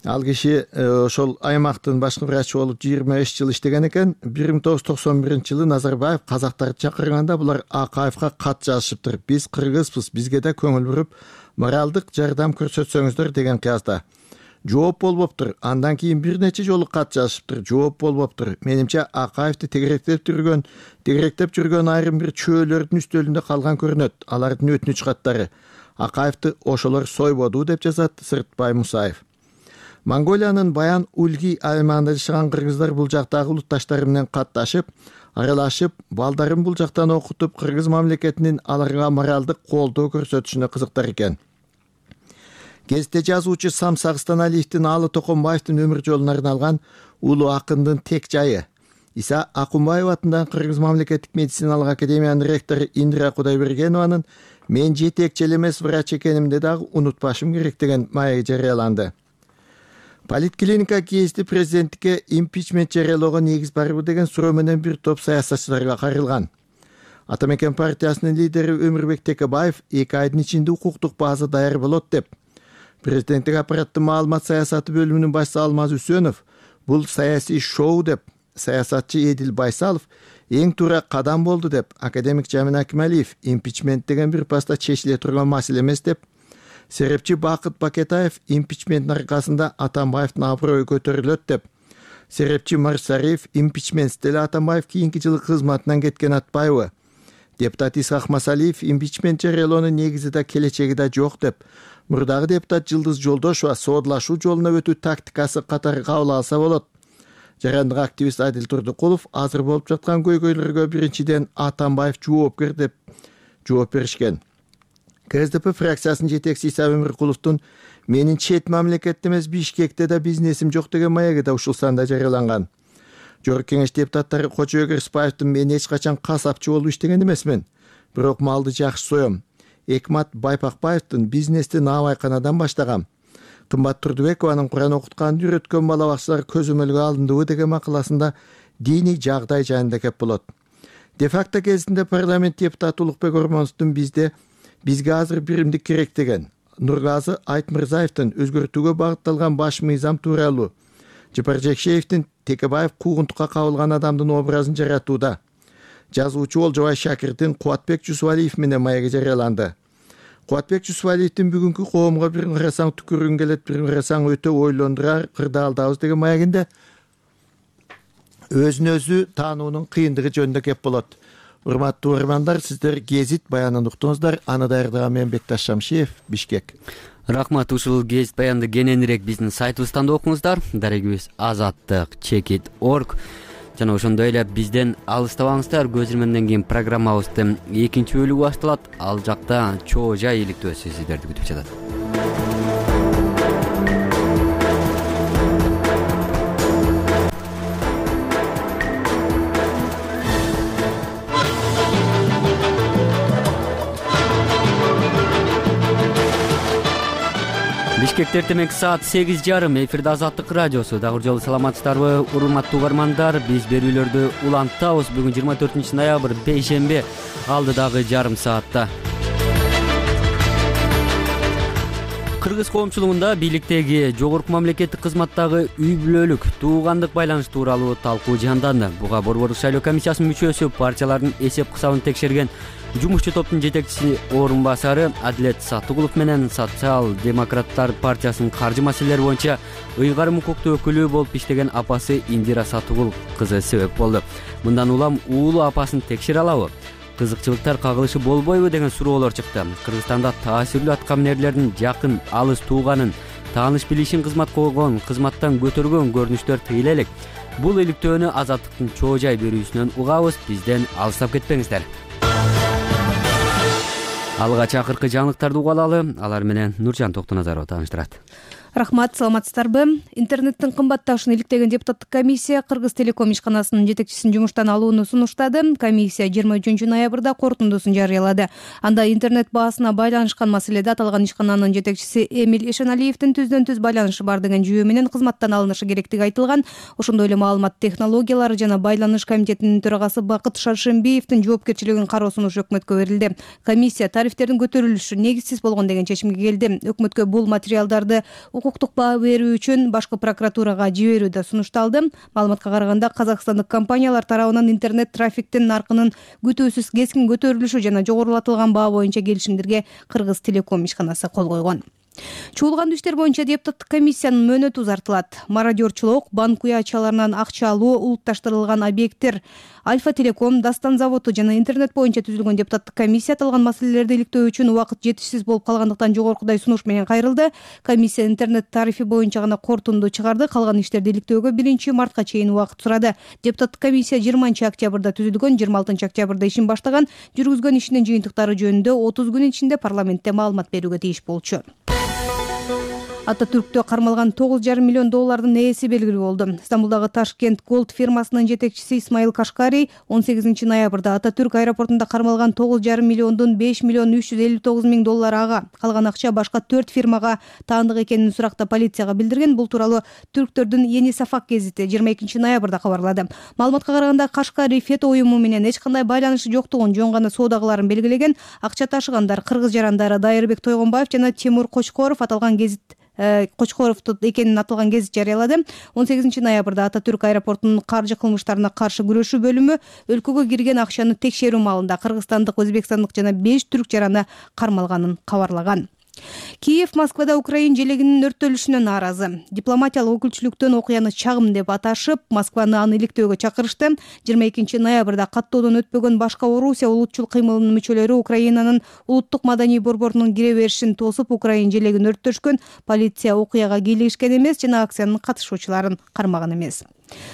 ал киши ошол аймактын башкы врачы болуп жыйырма беш жыл иштеген экен. бир миң тогуз жүз токсон биринчи жылы Назарбаев казактарды чакырганда булар Акаевга кат жазышыптыр. Биз кыргызбыз, бизге да көңүл буруп, моралдык жардам көрсөтсөңүздөр деген кыязда. Жооп болбоптур. Андан кийин бир нече жолу кат жазышыптыр. Жооп болбоптур. Менимче Акаевди тегеректеп жүргөн, тегеректеп жүргөн айрым бир чөөлөрдүн үстөлүндө калган көрүнөт. Алардын өтүнүч каттары. Акаевди ошолор сойбоду деп жазат Сыртбай Мусаев. Монголиянын Баян Ульги аймагында жашаган кыргыздар бул жактагы улутташтары менен катташып, аралашып, балдарын бул жактан окутуп, кыргыз мамлекетинин аларга моралдык колдоо көрсөтүшүнө кызыктар экен. Гезитте жазуучу Самсак Станалиевдин Алы Токонбаевдин өмүр жолуна арналган улуу акындын тек жайы. Иса Акунбаев атындагы Кыргыз мамлекеттик медициналык академиянын ректору Индира Кудайбергенованын мен жетекчи эмес врач экенимди дагы унутпашым керек деген маеги жарыяланды. Политклиника гезити президенттикке импичмент жарыялоого негиз барбы деген суроо менен бир топ саясатчыларга карылган. Атамекен партиясынын лидери Өмүрбек Текебаев эки айдын ичинде укуктук база даяр болот деп. Президенттик аппараттын маалымат саясаты бөлүмүнүн башчысы Алмаз Үсөнов бул саясий шоу деп, саясатчы Эдил Байсалов эң туура кадам болду деп, академик Жамин Акималиев импичмент деген бир паста чечиле турган маселе эмес деп, серепчи Бакыт Бакетаев импичменттин аркасында Атамбаевдин аброю көтөрүлөт деп, серепчи Марсариев импичментсиз деле Атамбаев кийинки жылы кызматынан кеткен атпайбы, депутат Исхак Масалиев импичмент жарыялоонун негизи да келечеги да жок деп, мурдагы депутат Жылдыз Жолдошова соодулашуу жолуна өтүү тактикасы катары кабыл алса болот. Жарандык активист Адил Турдукулов азыр болуп жаткан көйгөйлөргө биринчиден Атамбаев жоопкер деп жооп беришкен. ка эс дэ пэ фракциясынын жетекчиси Иса Өмүркуловдун менин чет мамлекетте эмес Бишкекте да бизнесим жок деген маеги да ушул санда жарыяланган. Жогорку кеңеш депутаттары Кочобек Рыспаевдин мен эч качан касапчы болуп иштеген эмесмин, бирок малды жакшы соем. Экмат Байпакбаевдин бизнести наабайканадан баштагам. Кымбат Турдубекованын Куран окутканды үйрөткөн бала бакчалар көзөмөлгө алындыбы деген макаласында диний жагдай жайында кеп болот. Де-факто кезинде парламент депутаты Улукбек Ормоновдун бизде бизге азыр биримдик керек деген, Нургазы Айтмырзаевдин өзгөртүүгө багытталган баш мыйзам тууралуу, Жапар Жекшеевдин Текебаев куугунтукка кабылган адамдын образын жаратууда, жазуучу Олжобай Шакирдин Кубатбек Жусупалиев менен маеги жарыяланды. Кубатбек Жусупалиевдин бүгүнкү коомго бир карасаң түкүргүң келет, бир карасаң өтө ойлондурар, кырдаалдабыз деген маегинде өзүн өзү таануунун кыйындыгы жөнүндө кеп болот. Урматтуу угармандар, сиздер гезит баянын уктуңуздар. Аны даярдаган мен Бекташ Шамшиев, Бишкек. Рахмат. Ушул гезит баянды кененирээк биздин сайтыбыздан да окуңуздар. Дарегибиз азаттык чекит точка орг. Жана ошондой эле бизден алыстабаңыздар. Көз ирмемден кийин программабыздын экинчи бөлүгү башталат. Ал жакта чоо жай иликтөөсү сиздерди күтүп жатат. Бишкекте эртең саат сегиз жарым эфирде Азаттык радиосу. Дагы жолу саламатсыздарбы, урматтуу угармандар? Биз берүүлөрдү улантабыз. Бүгүн жыйырма төртүнчү ноябрь бейшемби. Алдыдагы жарым саатта Кыргыз коомчулугунда бийликтеги жогорку мамлекеттик кызматтагы үй бүлөлүк туугандык байланыш тууралуу талкуу жанданды. Буга Борбордук шайлоо комиссиясынын мүчөсү, партиялардын эсеп кысабын текшерген жумушчу топтун жетекчиси орун басары Адилет Саттыгулов менен Социал-демократтар партиясынын каржы маселелери боюнча ыйгарым укуктуу өкүлү болуп иштеген апасы Индира Саттыгул кызы себеп болду. Мындан улам уулу апасын текшере алабы? Кызыкчылыктар кагылышы болбойбу деген суроолор чыкты. Кыргызстанда таасирлүү аткаминерлердин жакын алыс тууганын тааныш билишин кызматка койгон, кызматтан көтөргөн көрүнүштөр тыйыла элек. Бул иликтөөнү Азаттыктын чоо жай берүүсүнөн угабыз. Бизден алыстап кетпеңиздер. Алгач акыркы жаңылыктарды угуп алалы. Алар менен Нуржан Токтоназарова тааныштырат. Рахмат, саламатсыздарбы? Интернеттин кымбатташын иликтеген депутаттык комиссия Кыргыз телеком ишканасынын жетекчисин жумуштан алууну сунуштады. Комиссия жыйырма үчүнчү ноябрда корутундусун жарыялады. Анда интернет баасына байланышкан маселеде аталган ишкананын жетекчиси Эмиль Эшеналиевдин түздөн түз байланышы бар деген жүйө менен кызматтан алынышы керектиги айтылган. Ошондой эле маалымат технологиялары жана байланыш комитетинин төрагасы Бакыт Шаршембиевдин жоопкерчилигин кароо сунушу өкмөткө берилди. Комиссия тарифтердин көтөрүлүшү негизсиз болгон деген чечимге келди. Өкмөткө бул материалдарды укуктук баа берүү үчүн башкы прокуратурага жиберүү да сунушталды. Маалыматка караганда казакстандык компаниялар тарабынан интернет трафиктин наркынын күтүүсүз кескин көтөрүлүшү жана жогорулатылган баа боюнча келишимдерге Кыргыз телеком ишканасы кол койгон. Чуулгандуу иштер боюнча депутаттык комиссиянын мөөнөтү узартылат. Мародерчулук, банк уячаларынан акча алуу, улутташтырылган объекттер, Альфа Телеком, Дастан заводу жана интернет боюнча түзүлгөн депутаттык комиссия аталган маселелерди иликтөө үчүн убакыт жетишсиз болуп калгандыктан жогоркудай сунуш менен кайрылды. Комиссия интернет тарифи боюнча гана корутунду чыгарды. Калган иштерди иликтөөгө биринчи мартка чейин убакыт сурады. Депутаттык комиссия жыйырманчы октябрда түзүлгөн, жыйырма алтынчы октябрда ишин баштаган, жүргүзгөн ишинин жыйынтыктары жөнүндө отуз күн ичинде парламентте маалымат берүүгө тийиш болчу. Ататүрктө кармалган тогуз жарым миллион доллардын ээси белгилүү болду. Стамбулдагы Ташкент Голд фирмасынын жетекчиси Исмаил Кашкарий он сегизинчи ноябрда Ататүрк аэропортунда кармалган тогуз жарым миллиондун беш миллион үч жүз элүү тогуз миң доллары ага, калган акча башка төрт фирмага таандык экенин суракта полицияга билдирген. Бул тууралуу түрктөрдүн Yeni Safak гезити жыйырма экинчи ноябрда кабарлады. Маалыматка караганда Кашкарий фето уюму менен эч кандай байланышы жоктугун, жөн гана соода кыларын белгилеген. Акча ташыгандар кыргыз жарандары Дайырбек Тойгонбаев жана Тимур Кочкоров аталган гезит Кочкоров экенин аталган гезит жарыялады. он сегизинчи ноябрда Ататүрк аэропортунун каржы кылмыштарына каршы күрөшүү бөлүмү өлкөгө кирген акчаны текшерүү маалында кыргызстандык, өзбекстандык жана беш түрк жараны кармалганын кабарлаган. Киев Москвада Украин желегинин өрттөлүшүнө нааразы. Дипломатиялык өкүлчүлүктөн окуяны чагым деп аташып, Москваны аны иликтөөгө чакырышты. жыйырма экинчи ноябрда каттоодон өтпөгөн башка Орусия улутчул кыймылынын мүчөлөрү Украинанын улуттук маданий борборунун кире беришин тосуп, Украин желегин өрттөшкөн. Полиция окуяга кийлигишкен эмес жана акциянын катышуучуларын кармаган эмес.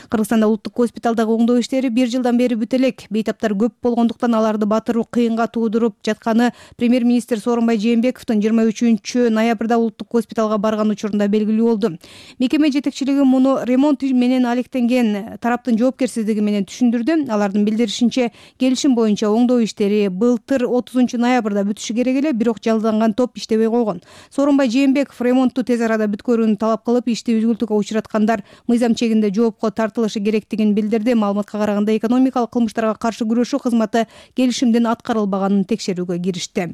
Кыргызстанда улуттук госпиталдагы оңдоо иштери бир жылдан бери бүтө элек. Бейтаптар көп болгондуктан аларды батыруу кыйынга туудуруп жатканы премьер-министр Сооронбай Жээнбековдун жыйырма үчүнчү ноябрда улуттук госпиталга барган учурунда белгилүү болду. Мекеме жетекчилиги муну ремонт менен алектенген тараптын жоопкерсиздиги менен түшүндүрдү. Алардын билдиришинче, келишим боюнча оңдоо иштери былтыр отузунчу ноябрда бүтүшү керек эле, бирок жалданган топ иштебей койгон. Сооронбай Жээнбеков ремонтту тез арада бүткөрүүнү талап кылып, ишти үзгүлтүккө учураткандар мыйзам чегинде жооп тартылышы керектигин билдирди. Маалыматка караганда экономикалык кылмыштарга каршы күрөшүү кызматы келишимдин аткарылбаганын текшерүүгө киришти.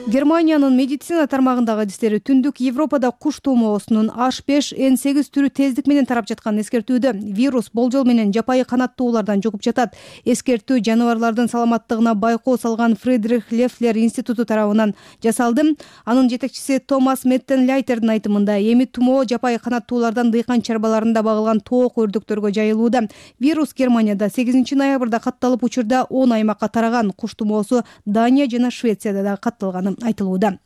Германиянын медицина тармагындагы адистери түндүк Европада куш тумоосунун H беш N сегиз түрү тездик менен тарап жатканын эскертүүдө. Вирус болжол менен жапайы канаттуулардан жугуп жатат. Эскертүү жаныбарлардын саламаттыгына байкоо салган Фридрих Лефлер институту тарабынан жасалды. Анын жетекчиси Томас Меттенляйтердин айтымында, эми тумоо жапайы канаттуулардан дыйкан чарбаларында багылган тоок өрдөктөргө жайылууда. Вирус Германияда сегизинчи ноябрда катталып, учурда он аймакка тараган. Куш тумоосу Дания жана Швецияда да катталганы айтылууда.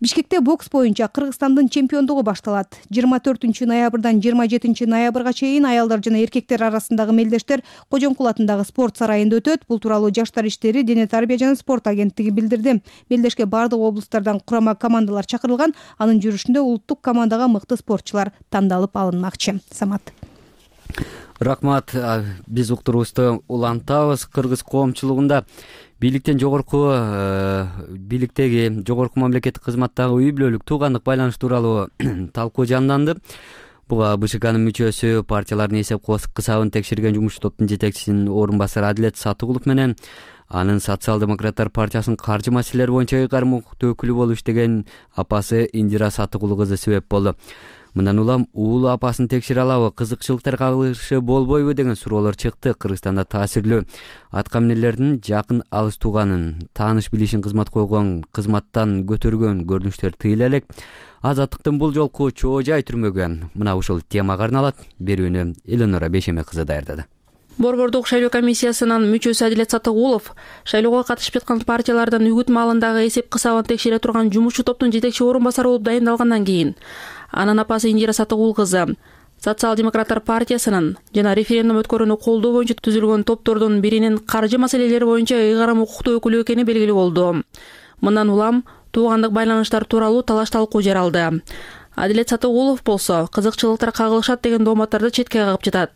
Бишкекте бокс боюнча Кыргызстандын чемпиондугу башталат. жыйырма төртүнчү ноябрдан жыйырма жетинчи ноябрга чейин аялдар жана эркектер арасындагы мелдештер Кожомкул атындагы спорт сарайында өтөт. Бул тууралуу Жаштар иштери, дене тарбия жана спорт агенттиги билдирди. Мелдешке бардык облустардан курама командалар чакырылган. Анын жүрүшүндө улуттук командага мыкты спортчулар тандалып алынмакчы. Самат. Рахмат. Биз уктуруубузду улантабыз. Кыргыз коомчулугунда бийликтен жогорку бийликтеги жогорку мамлекеттик кызматтагы үй бүлөлүк туугандык байланыш тууралуу талкуу жанданды. Буга БШКнын мүчөсү, партиялардын эсеп кысабын текшерген жумушчу топтун жетекчисинин орун басары Адилет Сатыгулов менен анын Социал-демократтар партиясынын каржы маселелери боюнча ыйгарым укуктуу өкүлү болуп иштеген апасы Индира Сатыгул кызы себеп болду. Мындан улам уулу апасын текшере алабы, кызыкчылыктар кагылышы болбойбу деген суроолор чыкты. Кыргызстанда таасирлүү аткаминерлердин жакын алыс тууганын, тааныш билишин кызмат койгон, кызматтан көтөргөн көрүнүштөр тыйыла элек. Азаттыктын бул жолку чоо жай түрмөгөн мына ушул темага арналат. Берүүнү Эленора Бешеме кызы даярдады. Борбордук шайлоо комиссиясынын мүчөсү Адилет Сатыгулов шайлоого катышып жаткан партиялардын үгүт маалындагы эсеп кысабын текшере турган жумушчу топтун жетекчи орун басары болуп дайындалгандан кийин анын апасы Индира Сатыгул кызы Социал-демократтар партиясынын жана референдум өткөрүүнү колдоо боюнча түзүлгөн топтордун биринин каржы маселелери боюнча ыйгарым укуктуу өкүлү экени белгилүү болду. Мындан улам туугандык байланыштар тууралуу талаш талкуу жаралды. Адилет Сатыгулов болсо кызыкчылыктар кагылышат деген дооматтарды четке кагып жатат.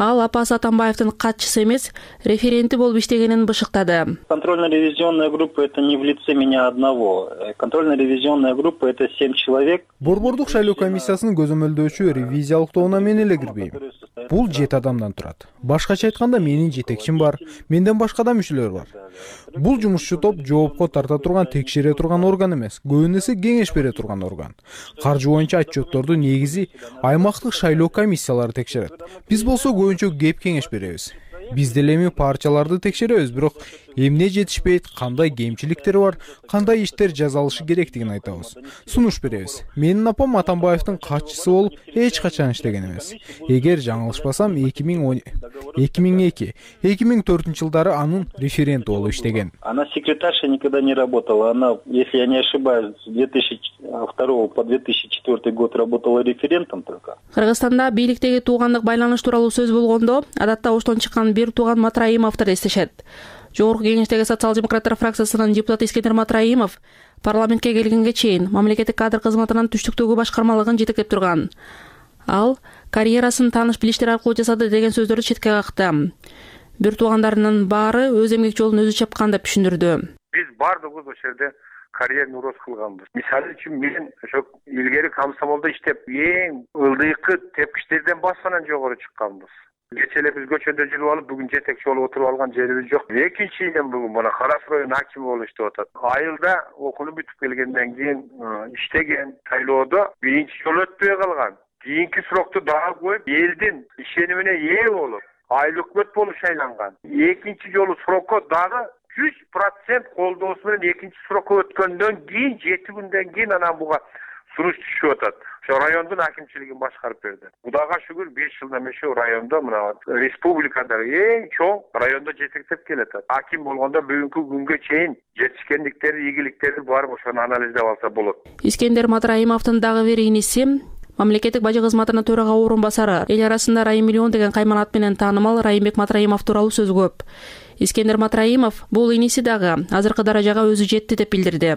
Ал апасы Атамбаевдин катчысы эмес, референти болуп иштегенин бышыктады. Контрольно-ревизионная группа — это не в лице меня одного. Контрольно-ревизионная группа — это семь человек. Борбордук шайлоо комиссиясынын көзөмөлдөөчү ревизиялык тобуна мен эле кирбейм. Бул жети адамдан турат. Башкача айтканда менин жетекчим бар, менден башка да мүчөлөр бар. Бул жумушчу топ жоопко тарта турган, текшере турган орган эмес, көбүн эсе кеңеш бере турган орган. Каржы боюнча отчетторду негизи аймактык шайлоо комиссиялары текшерет. Биз болсо көбүнчө кеп кеңеш беребиз. Биз деле эми партияларды текшеребиз, бирок эмне жетишпейт, кандай кемчиликтер бар, кандай иштер жазалышы керектигин айтабыз. Сунуш беребиз. Менин апам Атамбаевдин катчысы болуп эч качан иштеген эмес. Эгер жаңылышпасам эки миң эки эки миң төртүнчү жылдары анын референти болуп иштеген. Она секретарша никогда не работала. Она, если я не ошибаюсь, с две тысячи второго по две тысячи четвёртый год работала референтом только. Кыргызстанда бийликтеги туугандык байланыш тууралуу сөз болгондо адатта оштон чыккан бир тууган Матраимовду эстешет. Жогорку кеңештеги социал-демократтар фракциясынын депутаты Искендер Матраимов парламентке келгенге чейин мамлекеттик кадр кызматынын түштүктөгү башкармалыгын жетектеп турган. Ал карьерасын тааныш билиштер аркылуу жасады деген сөздөрдү четке какты. Бир туугандарынын баары өз эмгек жолун өзү чапкан деп түшүндүрдү. Биз баардыгыбыз ошол жерде карьерный рост кылганбыз. Мисалы үчүн мен ошо илгери комсомолдо иштеп эң ылдыйкы тепкичтерден басынан жогору чыкканбыз. Кече эле биз көчөдө жүрүп алып, бүгүн жетекчи болуп отуруп алган жерибиз жок. Экинчи элем бүгүн мына Карас район акими болуп иштеп атат. Айылда окууну бүтүп келгенден кийин иштеген, шайлоодо биринчи жолу өтпөй калган. Кийинки срокду дагы коюп, элдин ишенимине ээ болуп, айыл өкмөт болуп шайланган. Экинчи жолу срокко дагы жүз процент колдоосу менен экинчи срокко өткөндөн кийин жети күндөн кийин анан буга сунуш түшүп атат. Ошо райондун акимчилигин башкарып берди. Кудайга шүгүр беш жылдан бери ошо райондо мына республикада эң чоң райондо жетектеп келатат. Аким болгондо бүгүнкү күнгө чейин жетишкендиктери, ийгиликтери барып ошону анализдеп алса болот. Искендер Матраимовдун дагы бир иниси мамлекеттик бажы кызматынын төрага орун басары, эл арасында Райым миллион деген кайман ат менен таанымал Райымбек Матраимов тууралуу сөз көп. Искендер Матраимов бул иниси дагы азыркы даражага өзү жетти деп билдирди.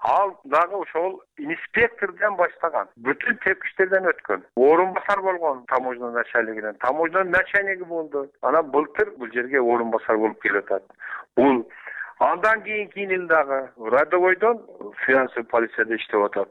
Ал дагы ошол инспектордон баштаган, бүтүн тепкичтерден өткөн. Орун басар болгон таможня начальнигинен, таможня начальниги болду. Анан былтыр бул жерге орун басар болуп келип атат. Бул андан кийинки ил дагы Радовойдон финансовый полицияда иштеп атат.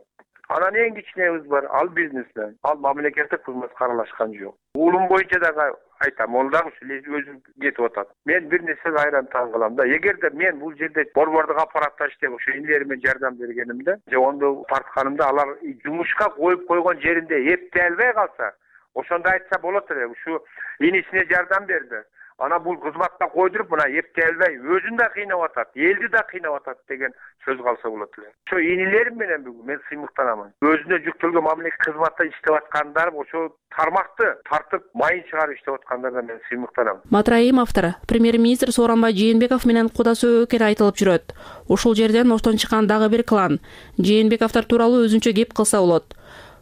Анан эң кичинебиз бар, ал бизнесмен, ал мамлекеттик кызматка аралашкан жок. Уулум боюнча дагы айтам, ол дагы өзү кетип атат. Мен бир нерсеге айран таң калам да. Эгерде мен бул жерде борбордук аппаратта иштеп, ошо инилериме жардам бергенимде, же ондо тартканымда алар жумушка коюп койгон жеринде эптей албай калса, ошондо айтса болот эле. Ушу инисине жардам берди. Ана бул кызматта койдуруп мына эптей албай өзүн да кыйнап атат, элди да кыйнап атат деген сөз калса болот эле. Ошо инилерим менен бүгүн мен сыймыктанамын. Өзүнө жүктөлгөн мамлекеттик кызматта иштеп аткандар ошо тармакты тартып майын чыгарып иштеп аткандардан мен сыймыктанам. Матраим автор премьер-министр Сооронбай Жээнбеков менен куда сөө экени айтылып жүрөт. Ошол жерден оштон чыккан дагы бир клан Жээнбековдор тууралуу өзүнчө кеп кылса болот.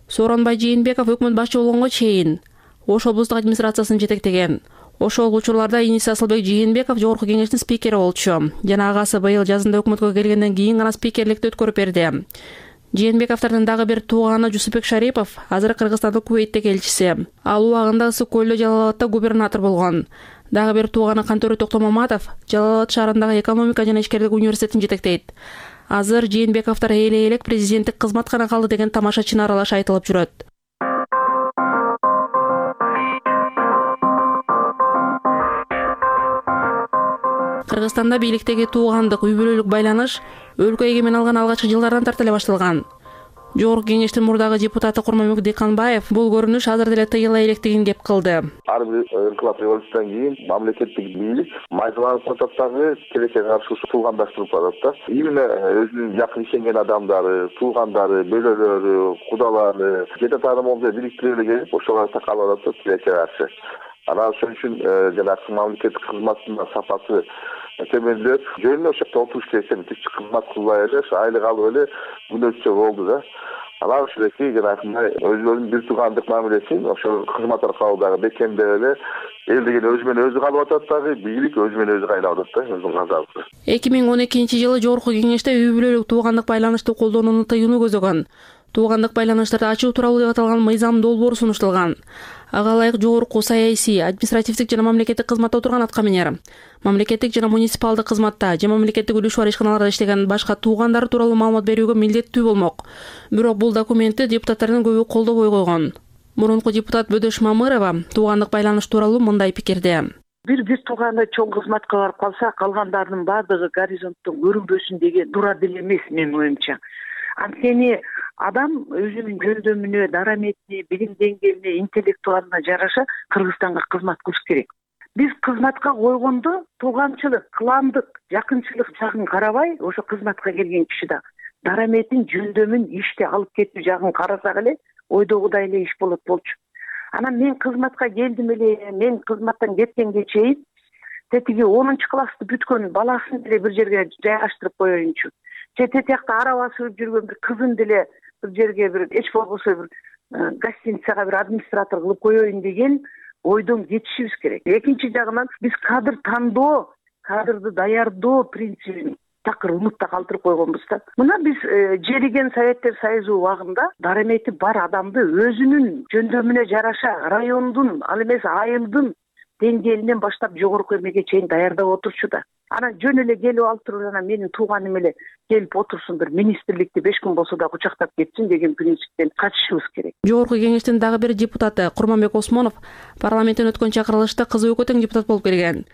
Сооронбай Жээнбеков өкмөт башчы болгонго чейин Ош облустук администрациясын жетектеген. Ошол учурларда иниси Асылбек Жээнбеков жогорку кеңештин спикери болчу. Жана агасы быйыл жазында өкмөткө келгенден кийин гана спикерликти өткөрүп берди. Жээнбековдордун дагы бир тууганы Жусупбек Шарипов азыр Кыргызстандын Кувейттеги элчиси. Ал убагында Ысык көлдө Жалал-Абадта губернатор болгон. Дагы бир тууганы Кантөрө Токтомаматов Жалал-Абад шаарындагы экономика жана ишкерлик университетин жетектейт. Азыр Жээнбековдор эле-элек президенттик кызмат гана калды деген тамашачыны аралаш айтылып жүрөт. Кыргызстанда бийликтеги туугандык, үй бүлөлүк байланыш өлкө эгемен алган алгачкы жылдардан тарта эле башталган. Жогорку кеңештин мурдагы депутаты Курманбек Дыйканбаев бул көрүнүш азыр деле тыйыла электигин кеп кылды. Ар бир инкылап революциядан кийин мамлекеттик бийлик майзаланып атат дагы тилекке каршы туугандаштырып атат да. Именно өзүнүн жакын ишенген адамдары, туугандары, бөлөлөрү, кудалары, жете таанымалды бириктирип эле келип ошолорго такалып атат тилекке каршы. Анан ошон үчүн жанагы мамлекеттик кызматтын сапасы төмөндөп, жөнүндө ошол жакта отуруш керексен түшүп кызмат кылбай эле айылга алып эле күнөөчү болду да. Анан ушундайки жанагындай өзүнүн бир туугандык мамилесин ошол кызмат аркылуу дагы бекемдеп эле эл деген өзү менен өзү калып атат дагы, бийлик өзү менен өзү кайнап атат да, өзүнүн казабы. эки миң он экинчи жылы жогорку кеңеште үй бүлөлүк туугандык байланышты колдонууну тыюуну көзөгөн. Туугандык байланыштарды ачуу тууралуу деп аталган мыйзам долбоору сунушталган. Ага ылайык жогорку саясий, административдик жана мамлекеттик кызматта отурган аткаминер, мамлекеттик жана муниципалдык кызматта же мамлекеттик үлүш бар ишканаларда иштеген башка туугандары тууралуу маалымат берүүгө милдеттүү болмок. Бирок бул документти депутаттардын көбү колдобой койгон. Мурунку депутат Бөдөш Мамырова туугандык байланыш тууралуу мындай пикирде. Бир бир тууганы чоң кызматка барып калса, калгандардын баардыгы горизонттон көрүнбөсүн деген туура деле эмес менин оюмча. Анткени адам өзүнүн жөндөмүнө, дараметине, билим деңгээлине, интеллектуалына жараша Кыргызстанга кызмат кылыш керек. Биз кызматка койгондо тууганчылык, кландык, жакынчылык жагын карабай, ошо кызматка келген киши да дараметин, жөндөмүн, ишти алып кетүү жагын карасак эле, ойдогудай эле иш болот болчу. Анан мен кызматка келдим эле, мен кызматтан кеткенге чейин тетиги онунчу классты бүткөн баласын деле бир жерге жайгаштырып коеюнчу. Чет жакта арабасы өтүп жүргөн бир кызын деле бир жерге бир эч болбосо бир гостиницага бир администратор кылып коеюн деген ойдон кетишибиз керек. Экинчи жагынан биз кадр тандоо, кадрды даярдоо принцибин такыр умутта калтырып койгонбуз да. Мына биз жериген Советтер Союзу убагында дарамети бар адамды өзүнүн жөндөмүнө жараша райондун, ал эмес айылдын деңгээлинен баштап жогорку эмеге чейин даярдап отурчу да. Анан жөн эле келип алып туруп анан менин тууганым эле келип отурсун, бир министрликти беш күн болсо да кучактап кетсин деген принциптен качышыбыз керек. Жогорку кеңештин дагы бир депутаты Курманбек Осмонов парламенттен өткөн чакырылышта кызы өкө тең депутат болуп келген.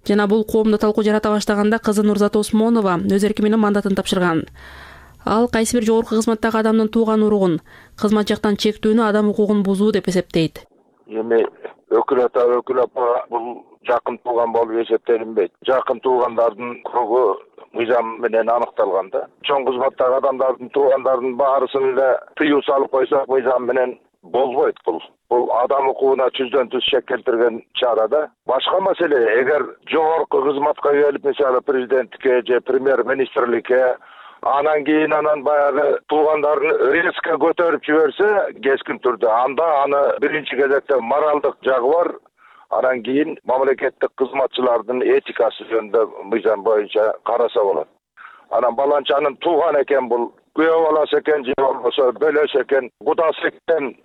Жана бул коомдо талкуу жарата баштаганда кызы Нурзат Осмонова өз эрки менен мандатын тапшырган. Ал кайсы бир жогорку кызматтагы адамдын тууган уругун, кызмат жактан чектүүнү адам укугун бузуу деп эсептейт. Эми өкүл ата, өкүл апа бул жакын тууган болуп эсептелинбейт. Жакын туугандардын кругу мыйзам менен аныкталган да. Чоң кызматтагы адамдардын туугандардын баарысын эле тыюу салып койсок мыйзам менен болбойт бул. Бул адам укугуна жүздөн жүз шек келтирген чара да. Башка маселе, эгер жогорку кызматка келип, мисалы президенттикке же премьер-министрликке, анан кийин анан баягы туугандарын резко көтөрүп жиберсе, кескин түрдө анда аны биринчи кезекте моралдык жагы бар. Анан кийин мамлекеттик кызматчылардын этикасы жөнүндө мыйзам боюнча караса болот. Анан баланчанын тууган экен, бул күйөө баласы экен, же болбосо бөлөсү экен, кудасы экен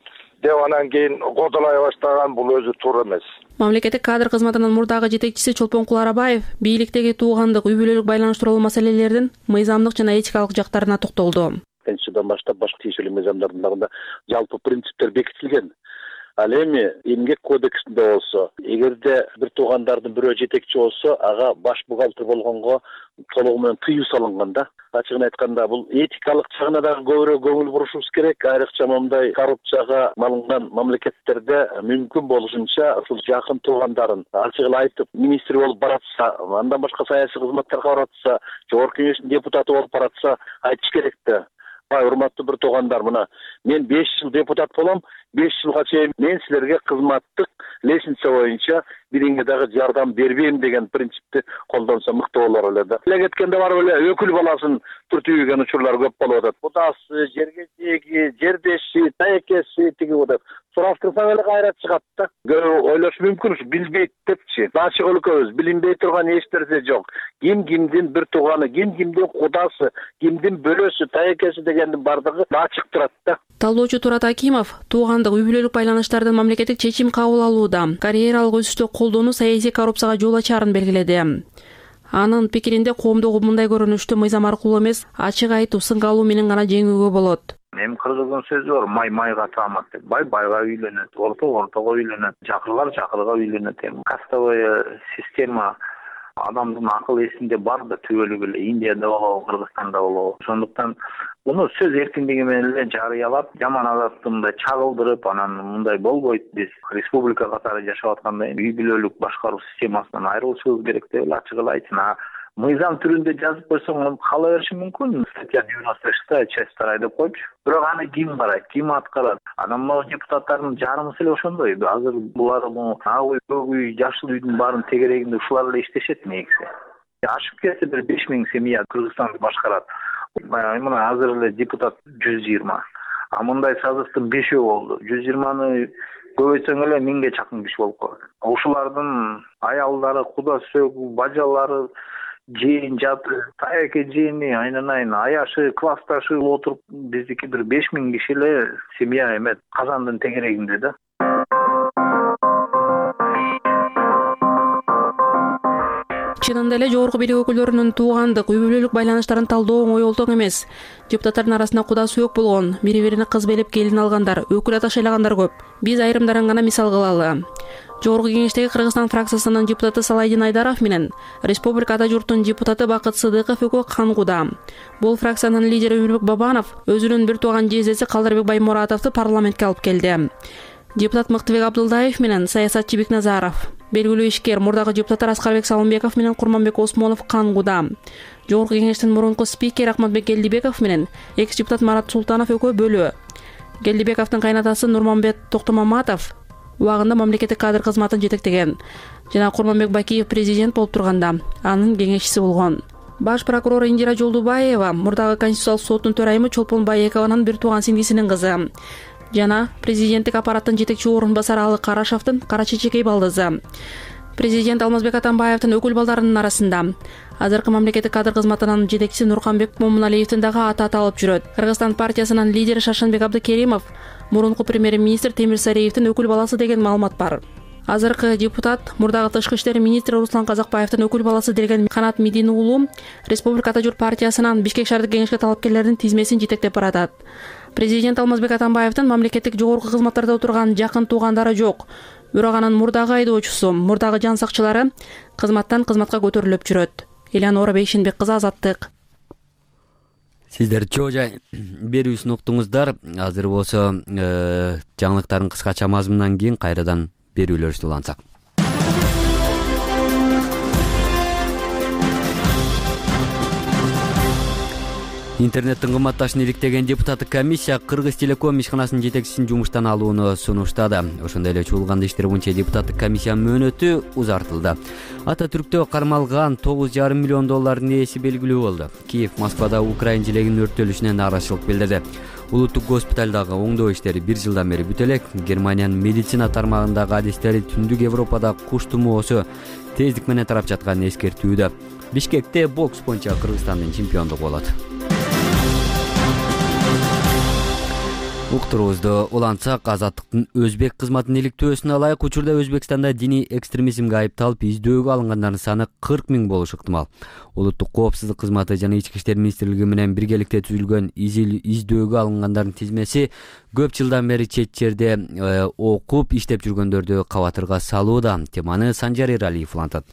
деп анан кийин кодолой баштаган, бул өзү туура эмес. Мамлекеттик кадр кызматынын мурдагы жетекчиси Чолпонкул Арабаев бийликтеги туугандык, үй бүлөлүк байланыш тууралуу маселелердин мыйзамдык жана этикалык жактарына токтолду. Жылдан баштап башка тиешелүү мыйзамдардын дагы жалпы принциптер бекитилген. Ал эми эмгек кодексинде болсо, эгерде бир туугандардын бирөө жетекчи болсо, ага баш бухгалтер болгонго толугу менен тыюу салынган да. ачыгын айтканда бул этикалык жагына дагы көбүрөөк көңүл бурушубуз керек. Айрыкча моундай коррупцияга малынган мамлекеттерде мүмкүн болушунча ушул жакын туугандарын ачык эле айтып, министр болуп баратса, андан башка саясий кызматтерге баратса, жогорку кеңештин депутаты болуп баратса, айтыш керек да. Урматтуу бир туугандар, мына мен беш жыл депутат болом, беш жылга чейин мен силерге кызматтык лестница боюнча бириңе дагы жардам бербейм деген принципти колдонсо мыкты болор эле да. Эле кеткенде барып эле өкүл баласын түртүүгөн учурлар көп болуп атат. Кудасы, жерге теги, жердеши, таекеси тиги деп сураштырсаң эле кайра чыгат да. Көп ойлош мүмкүн, билбейт депчи. Ачык өлкөбүз, билинбей турган эч нерсе жок. Ким кимдин бир тууганы, ким кимдин кудасы, кимдин бөлөсү, таекеси дегендин бардыгы ачык турат да. Талоочу Турат Акимов туугандык, үй бүлөлүк байланыштардын мамлекеттик чечим кабыл алууда карьералык өсүштү колдонуу саясий коррупцияга жол ачаарын белгиледи. Анын пикиринде коомдогу мындай көрүнүштү мыйзам аркылуу эмес, ачык айтуу, сынга алуу менен гана жеңүүгө болот. Эми кыргыздын сөзү бар, май майга таамат деп. Бай байга үйлөнөт, орто ортого үйлөнөт, жакырлар жакырга үйлөнөт. Эми кастовый система адамдын акыл эсинде бар да, түбөлүк эле Индияда болобу, Кыргызстанда болобу. Ошондуктан муну сөз эркиндиги менен эле жарыялап, жаман адатты мындай чагылдырып, анан мындай болбойт, биз республика катары жашап атканда үй бүлөлүк башкаруу системасынан айрылышыбыз керек деп эле ачык эле айтсын. Мыйзам түрүндө жазып койсоң кала бериши мүмкүн. Статья девяносто шестая часть вторая деп койчу. Бирок аны ким карайт, ким аткарат? Анан могу депутаттардын жарымысы эле ошондой. Азыр булар ак үй, көк үй, жашыл үйдүн баарын тегерегинде ушулар эле иштешет негизи. Ашып кетсе бир беш миң семья Кыргызстанды башкарат. Мына азыр эле депутат жүз жыйырма. А мындай созывдын бешөө болду. жүз жыйырманы көбөйтсөң эле миңге чакын киши болуп калат. Ушулардын аялдары, кудасы, бажалары, жээн жаты, таяке жээни, айнанайын, аяшы, классташы отуруп, биздики бир беш миң киши эле семья эмет казандын тегерегинде да. Чынында эле жогорку бийлик өкүлдөрүнүн туугандык, үй бүлөлүк байланыштарын талдоо оңой олтоң эмес. Депутаттардын арасында куда сүйөк болгон, бири-бирине кыз белип келин алгандар, өкүл ата шайлагандар көп. Биз айрымдарын гана мисал кылалы. Жогорку кеңештеги Кыргызстан фракциясынын депутаты Салайдин Айдаров менен Республика Ата журтунун депутаты Бакыт Сыдыков экөө кангуда. Бул фракциянын лидери Өмүрбек Бабанов өзүнүн бир тууган жездеси Калдырбек Баймуратовду парламентке алып келди. Депутат Мыктыбек Абдылдаев менен саясатчы Бекназаров, белгилүү ишкер мурдагы депутаттар Аскарбек Салымбеков менен Курманбек Осмонов кангуда. Жогорку кеңештин мурунку спикери Акматбек Келдибеков менен экс депутат Марат Султанов экөө бөлүү. Келдибековдун кайнатасы Нурманбет Токтомаматов убагында мамлекеттик кадр кызматын жетектеген жана Курманбек Бакиев президент болуп турганда анын кеңешчиси болгон. Баш прокурор Индира Жолдубаева мурдагы Конституциялык соттун төрайымы Чолпон Байекованын бир тууган сиңдисинин кызы жана президенттик аппараттын жетекчи орун басары Алы Карашевдин кара чечекей балдызы. Президент Алмазбек Атамбаевдин өкүл балдарынын арасында азыркы мамлекеттик кадр кызматынын жетекчиси Нурканбек Момуналиевдин дагы аты аталып жүрөт. Кыргызстан партиясынын лидери Шаршенбек Абдыкеримов мурунку премьер-министр Темир Сариевдин өкүл баласы деген маалымат бар. Азыркы депутат мурдагы тышкы иштер министри Руслан Казакбаевдин өкүл баласы деген Канат Медин уулу Республика Ата журт партиясынын Бишкек шаардык кеңешке талапкерлердин тизмесин жетектеп баратат. Президент Алмазбек Атамбаевдин мамлекеттик жогорку кызматтарда отурган жакын туугандары жок. Бирок анын мурдагы айдоочусу, мурдагы жан сакчылары кызматтан кызматка көтөрүлүп жүрөт. Элеонора Бейшенбек кызы, Азаттык. Сиздер чоо жай берүүсүн уктуңуздар. Азыр болсо жаңылыктардын кыскача мазмунунан кийин кайрадан берүүлөрүбүздү улантсак. Интернеттин кымбатташын иликтеген депутаттык комиссия Кыргыз Телеком ишканасынын жетекчисин жумуштан алууну сунуштады. Ошондой эле чуулган иштер боюнча депутаттык комиссиянын мөөнөтү узартылды. Ата Түрктө кармалган тогуз жарым миллион доллардын ээси белгилүү болду. Киев Москвада Украин желегинин өрттөлүшүнө нааразычылык билдирди. Улуттук госпиталдагы оңдоо иштери бир жылдан бери бүтө элек. Германиянын медицина тармагындагы адистери Түндүк Европада куш тумоосу тездик менен тарап жатканын эскертүүдө. Бишкекте бокс боюнча Кыргызстандын чемпиондугу болот. Уктуруубузду улантсак, Азаттыктын Өзбек кызматынын иликтөөсүнө ылайык учурда Өзбекстанда диний экстремизмге айыпталып издөөгө алынгандардын саны кырк миң болушу ыктымал. Улуттук коопсуздук кызматы жана Ички иштер министрлиги менен биргеликте түзүлгөн издөөгө алынгандардын тизмеси көп жылдан бери чет жерде окуп иштеп жүргөндөрдү кабатырга салууда. Теманы Санжар Эралиев улантат.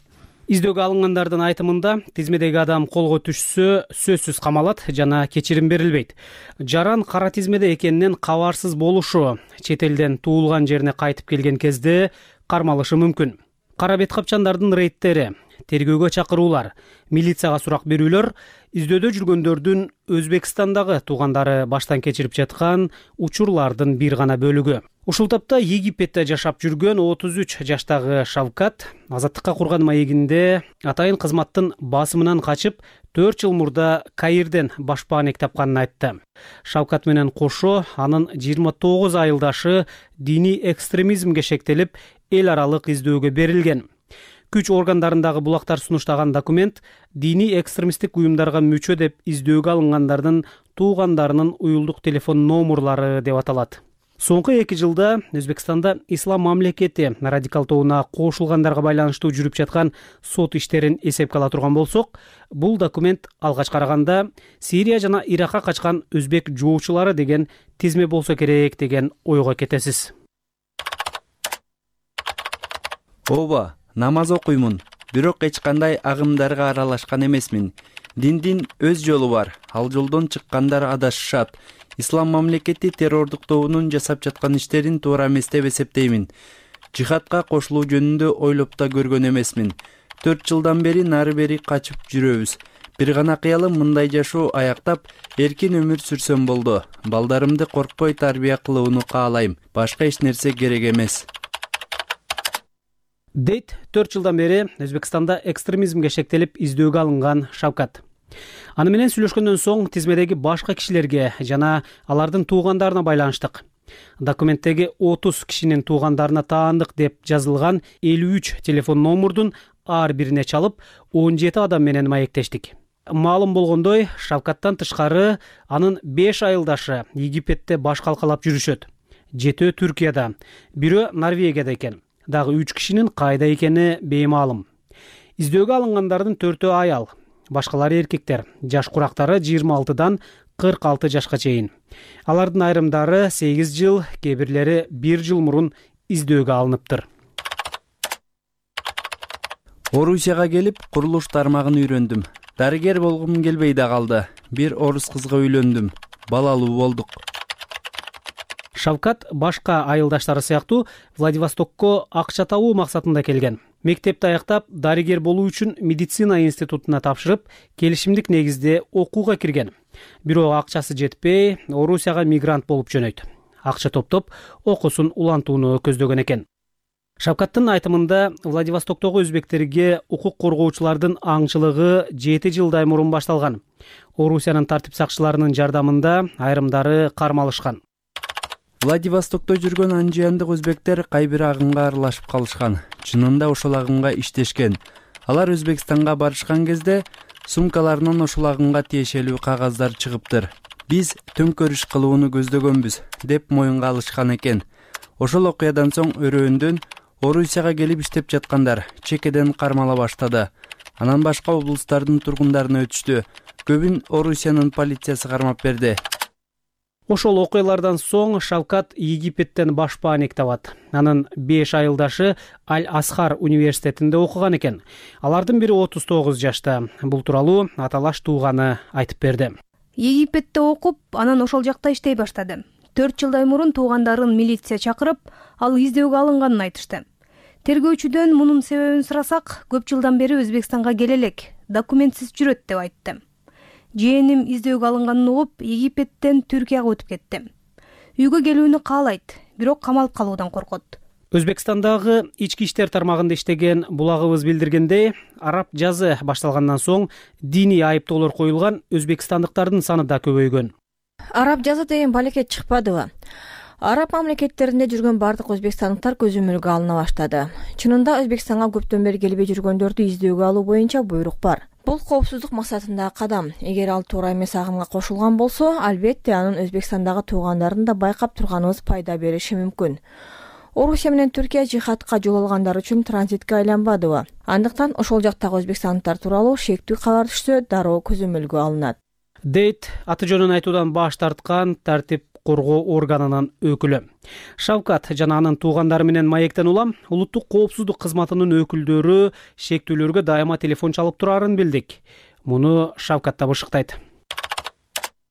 Издөөгө алынгандардын айтымында тизмедеги адам колго түшсө сөзсүз камалат жана кечирим берилбейт. Жаран кара тизмеде экенинен кабарсыз болушу, чет элден туулган жерине кайтып келген кезде кармалышы мүмкүн. Кара бет капчандардын рейдтери, тергөөгө чакыруулар, милицияга сурак берүүлөр издөөдө жүргөндөрдүн Өзбекстандагы туугандары баштан кечирип жаткан учурлардын бир гана бөлүгү. Ушул тапта Египетте жашап жүргөн отуз үч жаштагы Шавкат азаттыкка курган маегинде атайын кызматтын басымынан качып төрт жыл мурда Каирден башпаанек тапканын айтты. Шавкат менен кошо анын жыйырма тогуз айылдашы диний экстремизмге шектелип эл аралык издөөгө берилген. Күч органдарындагы булактар сунуштаган документ диний экстремисттик уюмдарга мүчө деп издөөгө алынгандардын туугандарынын уюлдук телефон номурлары деп аталат. Соңку эки жылда Өзбекстанда ислам мамлекети радикал тобуна кошулгандарга байланыштуу жүрүп жаткан сот иштерин эсепке ала турган болсок, бул документ алгач караганда Сирия жана Иракка качкан өзбек жоочулары деген тизме болсо керек деген ойго кетесиз. Ооба, намаз окуймун, бирок эч кандай агымдарга аралашкан эмесмин. Диндин өз жолу бар, ал жолдон чыккандар адашышат. Ислам мамлекети террордук тобунун жасап жаткан иштерин туура эмес деп эсептеймин. Жихадка кошулуу жөнүндө ойлоп да көргөн эмесмин. төрт жылдан бери нары бери качып жүрөбүз. Бир гана кыялым мындай жашоо аяктап, эркин өмүр сүрсөм болду. Балдарымды коркпой тарбия кылууну каалайм. Башка эч нерсе керек эмес. Дейт төрт жылдан бери Өзбекстанда экстремизмге шектелип издөөгө алынган Шавкат. Аны менен сүйлөшкөндөн соң тизмедеги башка кишилерге жана алардын туугандарына байланыштык. Документтеги отуз кишинин туугандарына таандык деп жазылган элүү үч телефон номурдун ар бирине чалып, он жети адам менен маектештик. Маалым болгондой, Шавкаттан тышкары анын беш айылдашы Египетте баш калкалап жүрүшөт. Жетөө Түркияда, бирөө Норвегияда экен. Дагы үч кишинин кайда экени беймаалым. Издөөгө алынгандардын төртөө аял, башкалары эркектер, жаш курактары жыйырма алтыдан кырк алты жашка чейин. Алардын айрымдары сегиз жыл, кээ бирлери бир жыл мурун издөөгө алыныптыр. Орусияга келип, курулуш тармагын үйрөндүм. Дарыгер болгум келбей да калды. Бир орус кызга үйлөндүм. Балалуу болдук. Шавкат башка айылдаштары сыяктуу Владивостокко акча табуу максатында келген. Мектепти аяктап, дарыгер болуу үчүн медицина институтуна тапшырып, келишимдик негизде окууга кирген. Бирок акчасы жетпей, Орусияга мигрант болуп жөнөйт. Акча топтоп, окуусун улантууну көздөгөн экен. Шавкаттын айтымында Владивостоктогу өзбектерге укук коргоочулардын аңчылыгы жети жылдай мурун башталган. Орусиянын тартип сакчыларынын жардамында айрымдары кармалышкан. Владивостокто жүргөн анжыяндык өзбектер кайбир агымга аралашып калышкан. Чынында ошол агымга иштешкен. Алар Өзбекстанга барышкан кезде сумкаларынан ошол агымга тиешелүү кагаздар чыгыптыр. Биз төңкөрүш кылууну көздөгөнбүз деп моюнга алышкан экен. Ошол окуядан соң өрөөндөн Орусияга келип иштеп жаткандар чекеден кармала баштады. Анан башка облустардын тургундарына өтүштү. Көбүн Орусиянын полициясы кармап берди. Ошол окуялардан соң Шавкат Египеттен башпаанек табат. Анын беш айылдашы Аль-Асхар университетинде окуган экен. Алардын бири отуз тогуз жашта. Бул тууралуу аталаш тууганы айтып берди. Египетте окуп, анан ошол жакта иштей баштады. төрт жылдай мурун туугандарын милиция чакырып, ал издөөгө алынганын айтышты. Тергөөчүдөн мунун себебин сурасак, көп жылдан бери Өзбекстанга келе элек, документсиз жүрөт деп айтты. Жээним издөөгө алынганын угуп, Египеттен Түркияга өтүп кетти. Үйгө келүүнү каалайт, бирок камалып калуудан коркот. Өзбекстандагы ички иштер тармагында иштеген булагыбыз билдиргендей, араб жазы башталгандан соң диний айыптоолор коюлган өзбекстандыктардын саны да көбөйгөн. Араб жазы деген балекет чыкпадыбы? Араб мамлекеттеринде жүргөн бардык өзбекстандыктар көзөмөлгө алына баштады. Чынында Өзбекстанга көптөн бери келбей жүргөндөрдү издөөгө алуу боюнча буйрук бар. Бул коопсуздук максатындагы кадам. Эгер ал туура эмес агымга кошулган болсо, албетте анын Өзбекстандагы туугандарын да байкап турганыбыз пайда бериши мүмкүн. Орусия менен Түркия жихадка жол алгандар үчүн транзитке айланбадыбы? Андыктан ошол жактагы өзбекстандыктар тууралуу шектүү кабар түшсө, дароо көзөмөлгө алынат. Дейт аты жөнүн айтуудан баш тарткан тартип коргоо органынын өкүлү. Шавкат жана анын туугандары менен маектен улам улуттук коопсуздук кызматынын өкүлдөрү шектүүлөргө дайыма телефон чалып турарын билдик. Муну Шавкат да бышыктайт.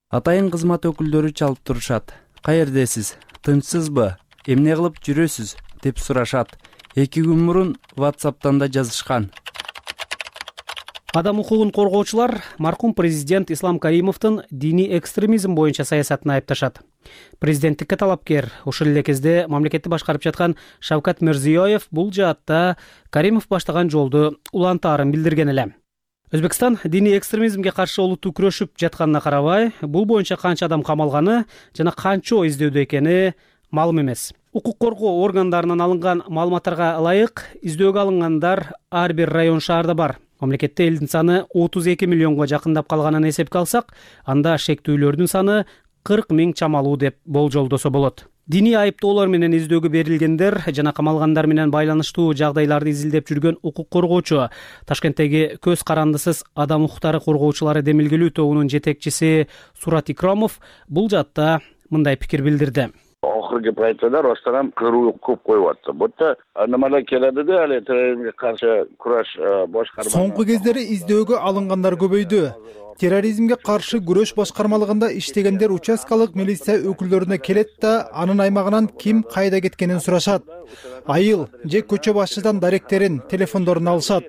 Атайын кызмат өкүлдөрү чалып турушат. Каердесиз? Тынчсызбы? Эмне кылып жүрөсүз? Деп сурашат. Эки күн мурун WhatsApp'тан да жазышкан. Адам укугун коргоочулар маркум президент Ислам Каримовдун диний экстремизм боюнча саясатын айыпташат. Президенттикке талапкер, ошол эле кезде мамлекетти башкарып жаткан Шавкат Мирзиёев бул жаатта Каримов баштаган жолду улантаарын билдирген эле. Өзбекстан диний экстремизмге каршы олуттуу күрөшүп жатканына карабай, бул боюнча канча адам камалганы жана канчоо издөөдө экени маалым эмес. Укук коргоо органдарынан алынган маалыматтарга ылайык, издөөгө алынгандар ар бир район шаарда бар. Мамлекетте элдин саны отуз эки миллионго жакындап калганын эсепке алсак, анда шектүүлөрдүн саны кырк миң чамалуу деп болжолдосо болот. Диний айыптоолор менен издөөгө берилгендер жана камалгандар менен байланыштуу жагдайларды изилдеп жүргөн укук коргоочу, Ташкенттеги көз карандысыз адам укуктары коргоочулары демилгелүү тобунун жетекчиси Сурат Икрамов бул жаатта мындай пикир билдирди. Охирги пайтада Ростарам кыруу көп коюп атты. Бутта аномалия келди да, але терроризмге каршы кураш башкарма. Соңку кездери издөөгө алынгандар көбөйдү. Терроризмге каршы күрөш башкармалыгында иштегендер участкалык милиция өкүлдөрүнө келет да, анын аймагынан ким кайда кеткенин сурашат. Айыл же көчө башчыдан даректерин, телефондорун алышат.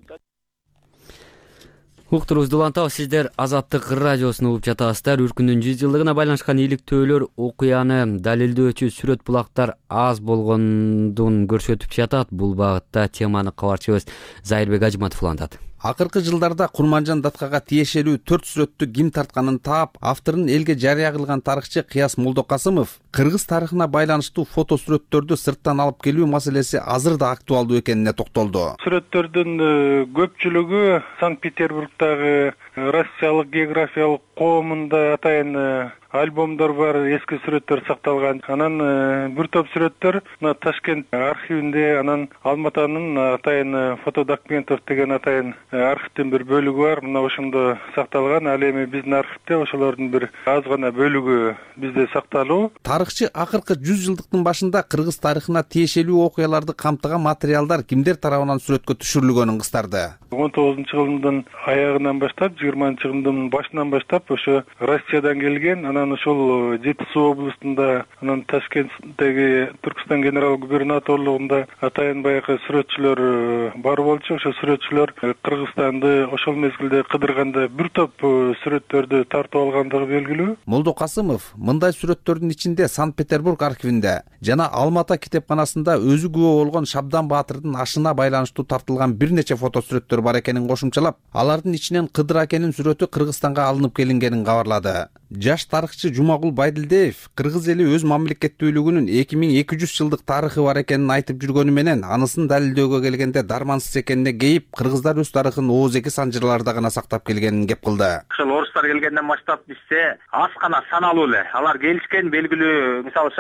Уктурубузду улантабыз, сиздер Азаттык радиосун угуп жатасыздар. Үркүндүн жүз жылдыгына байланышкан иликтөөлөр окуяны далилдөөчү сүрөт булактар аз болгондун көрсөтүп жатат. Бул багытта теманы кабарчыбыз Зайырбек Ажыматов улантат. Акыркы жылдарда Курманжан Даткага тиешелүү төрт сүрөттү ким тартканын таап, авторун элге жарыя кылган тарыхчы Кыяс Молдокасымов кыргыз тарыхына байланыштуу фото сүрөттөрдү сырттан алып келүү маселеси азыр да актуалдуу экенине токтолду. Сүрөттөрдүн көпчүлүгү Санкт-Петербургдагы Россиялык географиялык коомунда атайын альбомдор бар, эски сүрөттөр сакталган. Анан бир топ сүрөттөр мына Ташкент архивинде, анан Алматанын атайын фотодокументов деген атайын архивдин бир бөлүгү бар. Мына ошондо сакталган. Ал эми биздин архивде ошолордун бир аз гана бөлүгү бизде сакталуу. Тарыхчы акыркы жүз жылдыктын башында кыргыз тарыхына тиешелүү окуяларды камтыган материалдар кимдер тарабынан сүрөткө түшүрүлгөнүн кыстарды. он тогузунчу кылымдын аягынан баштап, жыйырманчы кылымдын башынан баштап ошо Россиядан келген. Анан ошол Жети Суу областында, анан Ташкенттеги Түркстан генерал губернаторлугунда атайын баягы сүрөтчүлөр бар болчу. Ошо сүрөтчүлөр Кыргызстанды ошол мезгилде кыдырганда бир топ сүрөттөрдү тартып алгандыгы белгилүү. Молдокасымов мындай сүрөттөрдүн ичинде Санкт-Петербург архивинде жана Алмата китепканасында өзү күбө болгон Шабдан Баатырдын ашына байланыштуу тартылган бир нече фото сүрөттөр бар экенин кошумчалап, алардын ичинен Кыдыр акенин сүрөтү Кыргызстанга алынып келингенин кабарлады. Жаш тарыхчы Жумагул Байдилдиев кыргыз эли өз мамлекеттүүлүгүнүн эки миң эки жүз жылдык тарыхы бар экенин айтып жүргөнү менен, анысын далилдөөгө келгенде дармансыз экенине кейип, кыргыздар өз тарыхын ооз-эки санжырларда гана сактап келгенин кеп кылды. Ошол орустар келгенден баштап бизде аз гана саналуу эле. Алар келишкен, белгилүү, мисалы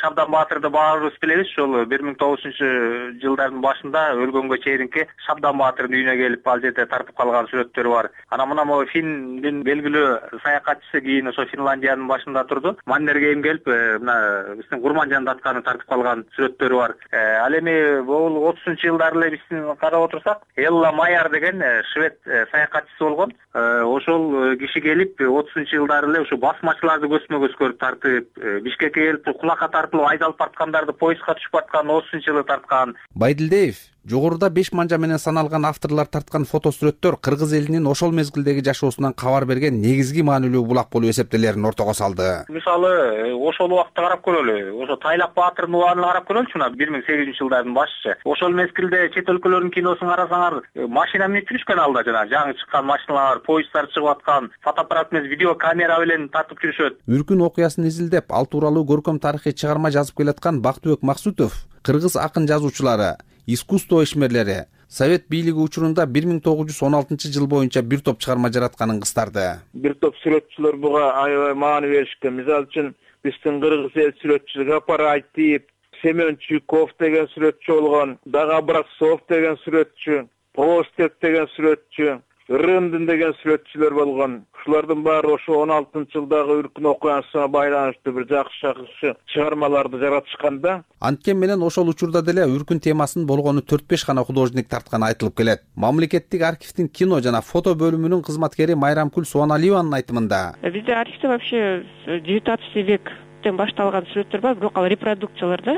Шабдан Баатырды баарыбыз билебиз, ошол бир миң тогуз жүзүнчү жылдардын башында өлгөнгө чейинки Шабдан Баатырдын үйүнө келип ал жерде тартып калган сүрөттөр бар. Анан мына могу Финдин белгилүү саякатчысы, кийин ошо Финляндиянын башында турду. Маннергейм келип, мына биздин Курманжан Датканы тартып калган сүрөттөрү бар. Ал эми бул отузунчу жылдары эле биздин карап отурсак, Элла Майар деген швед саякатчысы болгон. Ошол киши келип отузунчу жылдары эле ушу басмачыларды көзмө-көз көрүп тартып, Бишкекке келип кулакка тартылып айдалып барткандарды поездга түшүп аткан отузунчу жылы тарткан. Байдилдиев жогоруда беш манжа менен саналган авторлор тарткан фото сүрөттөр кыргыз элинин ошол мезгилдеги жашоосунан кабар берген негизги маанилүү булак болуп эсептелерин ортого салды. Мисалы, ошол убакытта карап көрөлү. Ошо Тайлак Баатырдын убагына карап көрөлүчү, мына бир миң сегиз жүзүнчү жылдардын башчы. Ошол мезгилде чет өлкөлөрдүн киносун карасаңар, машина менен жүрүшкөн алда, жана жаңы чыккан машиналар, поезддар чыгып аткан, фотоаппарат менен видео камера менен тартып жүрүшөт. Үркүн окуясын изилдеп, ал тууралуу көркөм тарыхый чыгарма жазып келаткан Бактыбек Максутов кыргыз акын жазуучулары, искусство ишмерлери Совет бийлиги учурунда бир миң тогуз жүз он алтынчы жыл боюнча бир топ чыгарма жаратканын кыстарды. Бир топ сүрөтчүлөр буга аябай маани беришкен. Мисалы үчүн биздин кыргыз эл сүрөтчүлүгү Гапар Айтип, Семен Чуйков деген сүрөтчү болгон, Дага Браксов деген сүрөтчү, Постек деген сүрөтчү, Ырындын деген сүрөтчүлөр болгон. Ушулардын баары ошо он алтынчы жылдагы үркүн окуясына байланыштуу бир жакшы жакшы чыгармаларды жаратышкан да. Анткени менен ошол учурда деле үркүн темасын болгону төрт беш гана художник тартканы айтылып келет. Мамлекеттик архивдин кино жана фото бөлүмүнүн кызматкери Майрамкүл Суаналиеванын айтымында. Бизде архивде вообще девятнадцатый век башталган сүрөттөр бар, бирок ал репродукциялар да,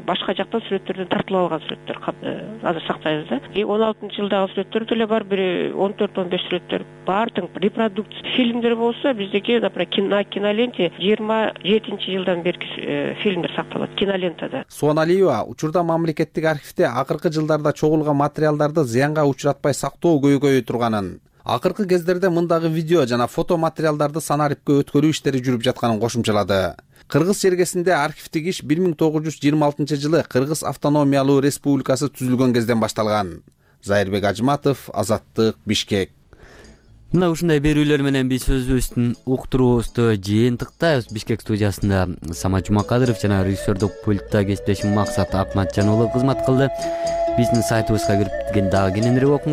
башка жактан сүрөттөрдөн тартылып алган сүрөттөр азыр сактайбыз да. И он алтынчы жылдагы сүрөттөр деле бар, бир он төрт он беш сүрөттөр бар, тең репродукция. Фильмдер болсо биздеки, например, на киноленте жыйырма жетинчи жылдан берки фильмдер сакталат кинолентада. Суаналиева учурда мамлекеттик архивде акыркы жылдарда чогулган материалдарды зыянга учуратпай сактоо көйгөйү турганын, акыркы кездерде мындагы видео жана фото материалдарды санариптке өткөрүү иштери жүрүп жатканын кошумчалады. Кыргыз чергесинде архивдик иш бир миң тогуз жүз жыйырма алтынчы жылы Кыргыз автономиялуу республикасы түзүлгөн кезден башталган. Зайырбек Ажматов, Азаттык, Бишкек. Мына ушундай берүүлөр менен биз өзүбүздүн уктуруубузду жыйынтыктайбыз. Бишкек студиясында Самат Жумакадыров жана режиссердик пультта кесиптешим Максат Акматжан уулу кызмат кылды. Биздин сайтыбызга кирип дагы кененирээк